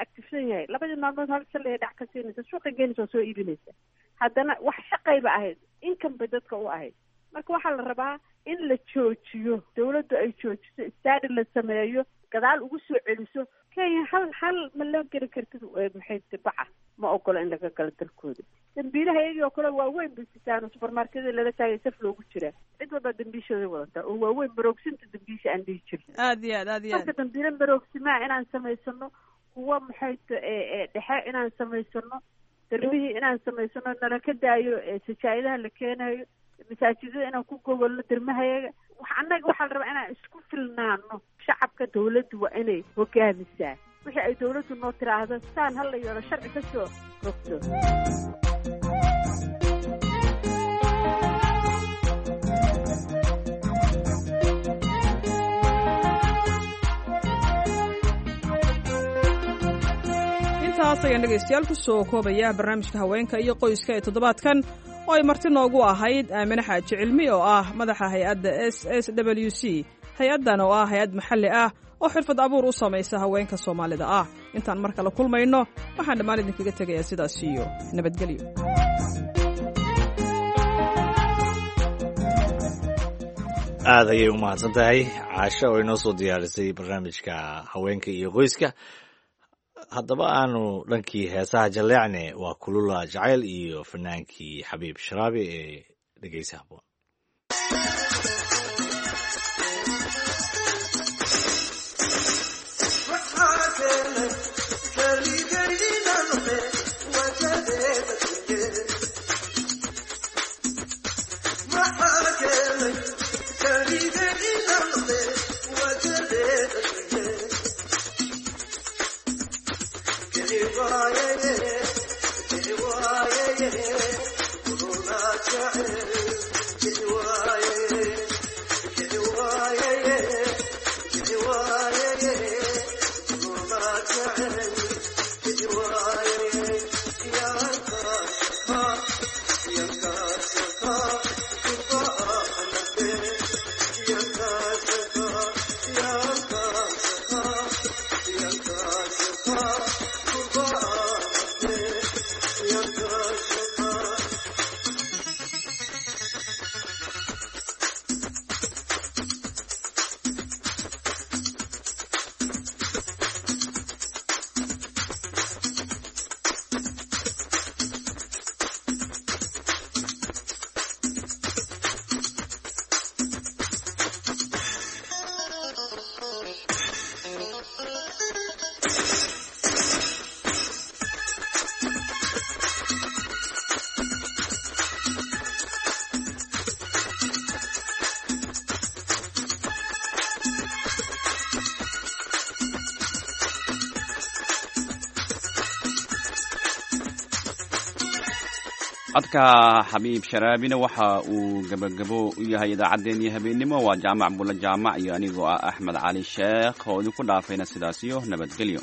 actifsan yahay. Labadii maalmood hal shalay dhac ka siinaysa, suuqa geenaysa oo soo iibinaysa. Haddana wax shaqayba ahayd, income bay dadka u ahayd. Marka waxaa la rabaa in la joojiyo, dawladdu ay joojiso, study la sameeyo, gadaal ugu soo celiso. Kenya hal hal ma loo geli kartid, maxay baca ma ogola in laga galo dalkooda. Dambiilaha iyagii oo kale waaweyn bay sitaan oo supermarketyada lala taagay saf loogu jiraa. Cid walbaa dambiishooday wadataa oo waaweyn, maroogsinta dambiisha aan dhihi jirin. Aad iyo aad, aad iyo aad. Marka dambiile maroogsimaa inaan samaysano, kuwa maxay dhexe inaan samaysano, darbihii inaan samaysano, nala ka daayo sajaa'idaha la keenayo, masaajidada inaan ku gogolno dermahayaga. Wax annaga waxaa la rabaa inaan isku filnaano. Shacabka dawladdu waa inay hogaamisaa wixii ay dawladdu noo tiraahdo, saan hala yeelo, sharci ka soo rogto. Intaas ayaan dhegaystayaal ku soo koobaya barnaamijka haweenka iyo qoyska ee toddobaadkan oo ay marti noogu ahayd Aamine Xaaji Cilmi oo ah madaxa hay-adda S S W C, hay-addan oo ah hay-ad maxalli ah oo xirfad abuur u samaysa haweenka Soomaalida ah. Intaan mar kale kulmayno, waxaan dhammaan idinkaga tegayaa sidaas iyo nabadgelyo. Aad ayay u mahadsan tahay Caasho oo inoo soo diyaarisay barnaamijka haweenka iyo qoyska. Haddaba aanu dhankii heesaha jalleecne, waa Kulula Jacayl iyo fanaankii Xabiib Sharaabi ee dhegeysa haboon. Codka Xabiib Sharaabina waxa uu gabagabo u yahay idaacaddeenii habeennimo. Waa Jaamac Bulla Jaamac iyo anigoo ah Axmed Cali Sheekh oo idinku dhaafayna sidaas iyo nabadgelyo.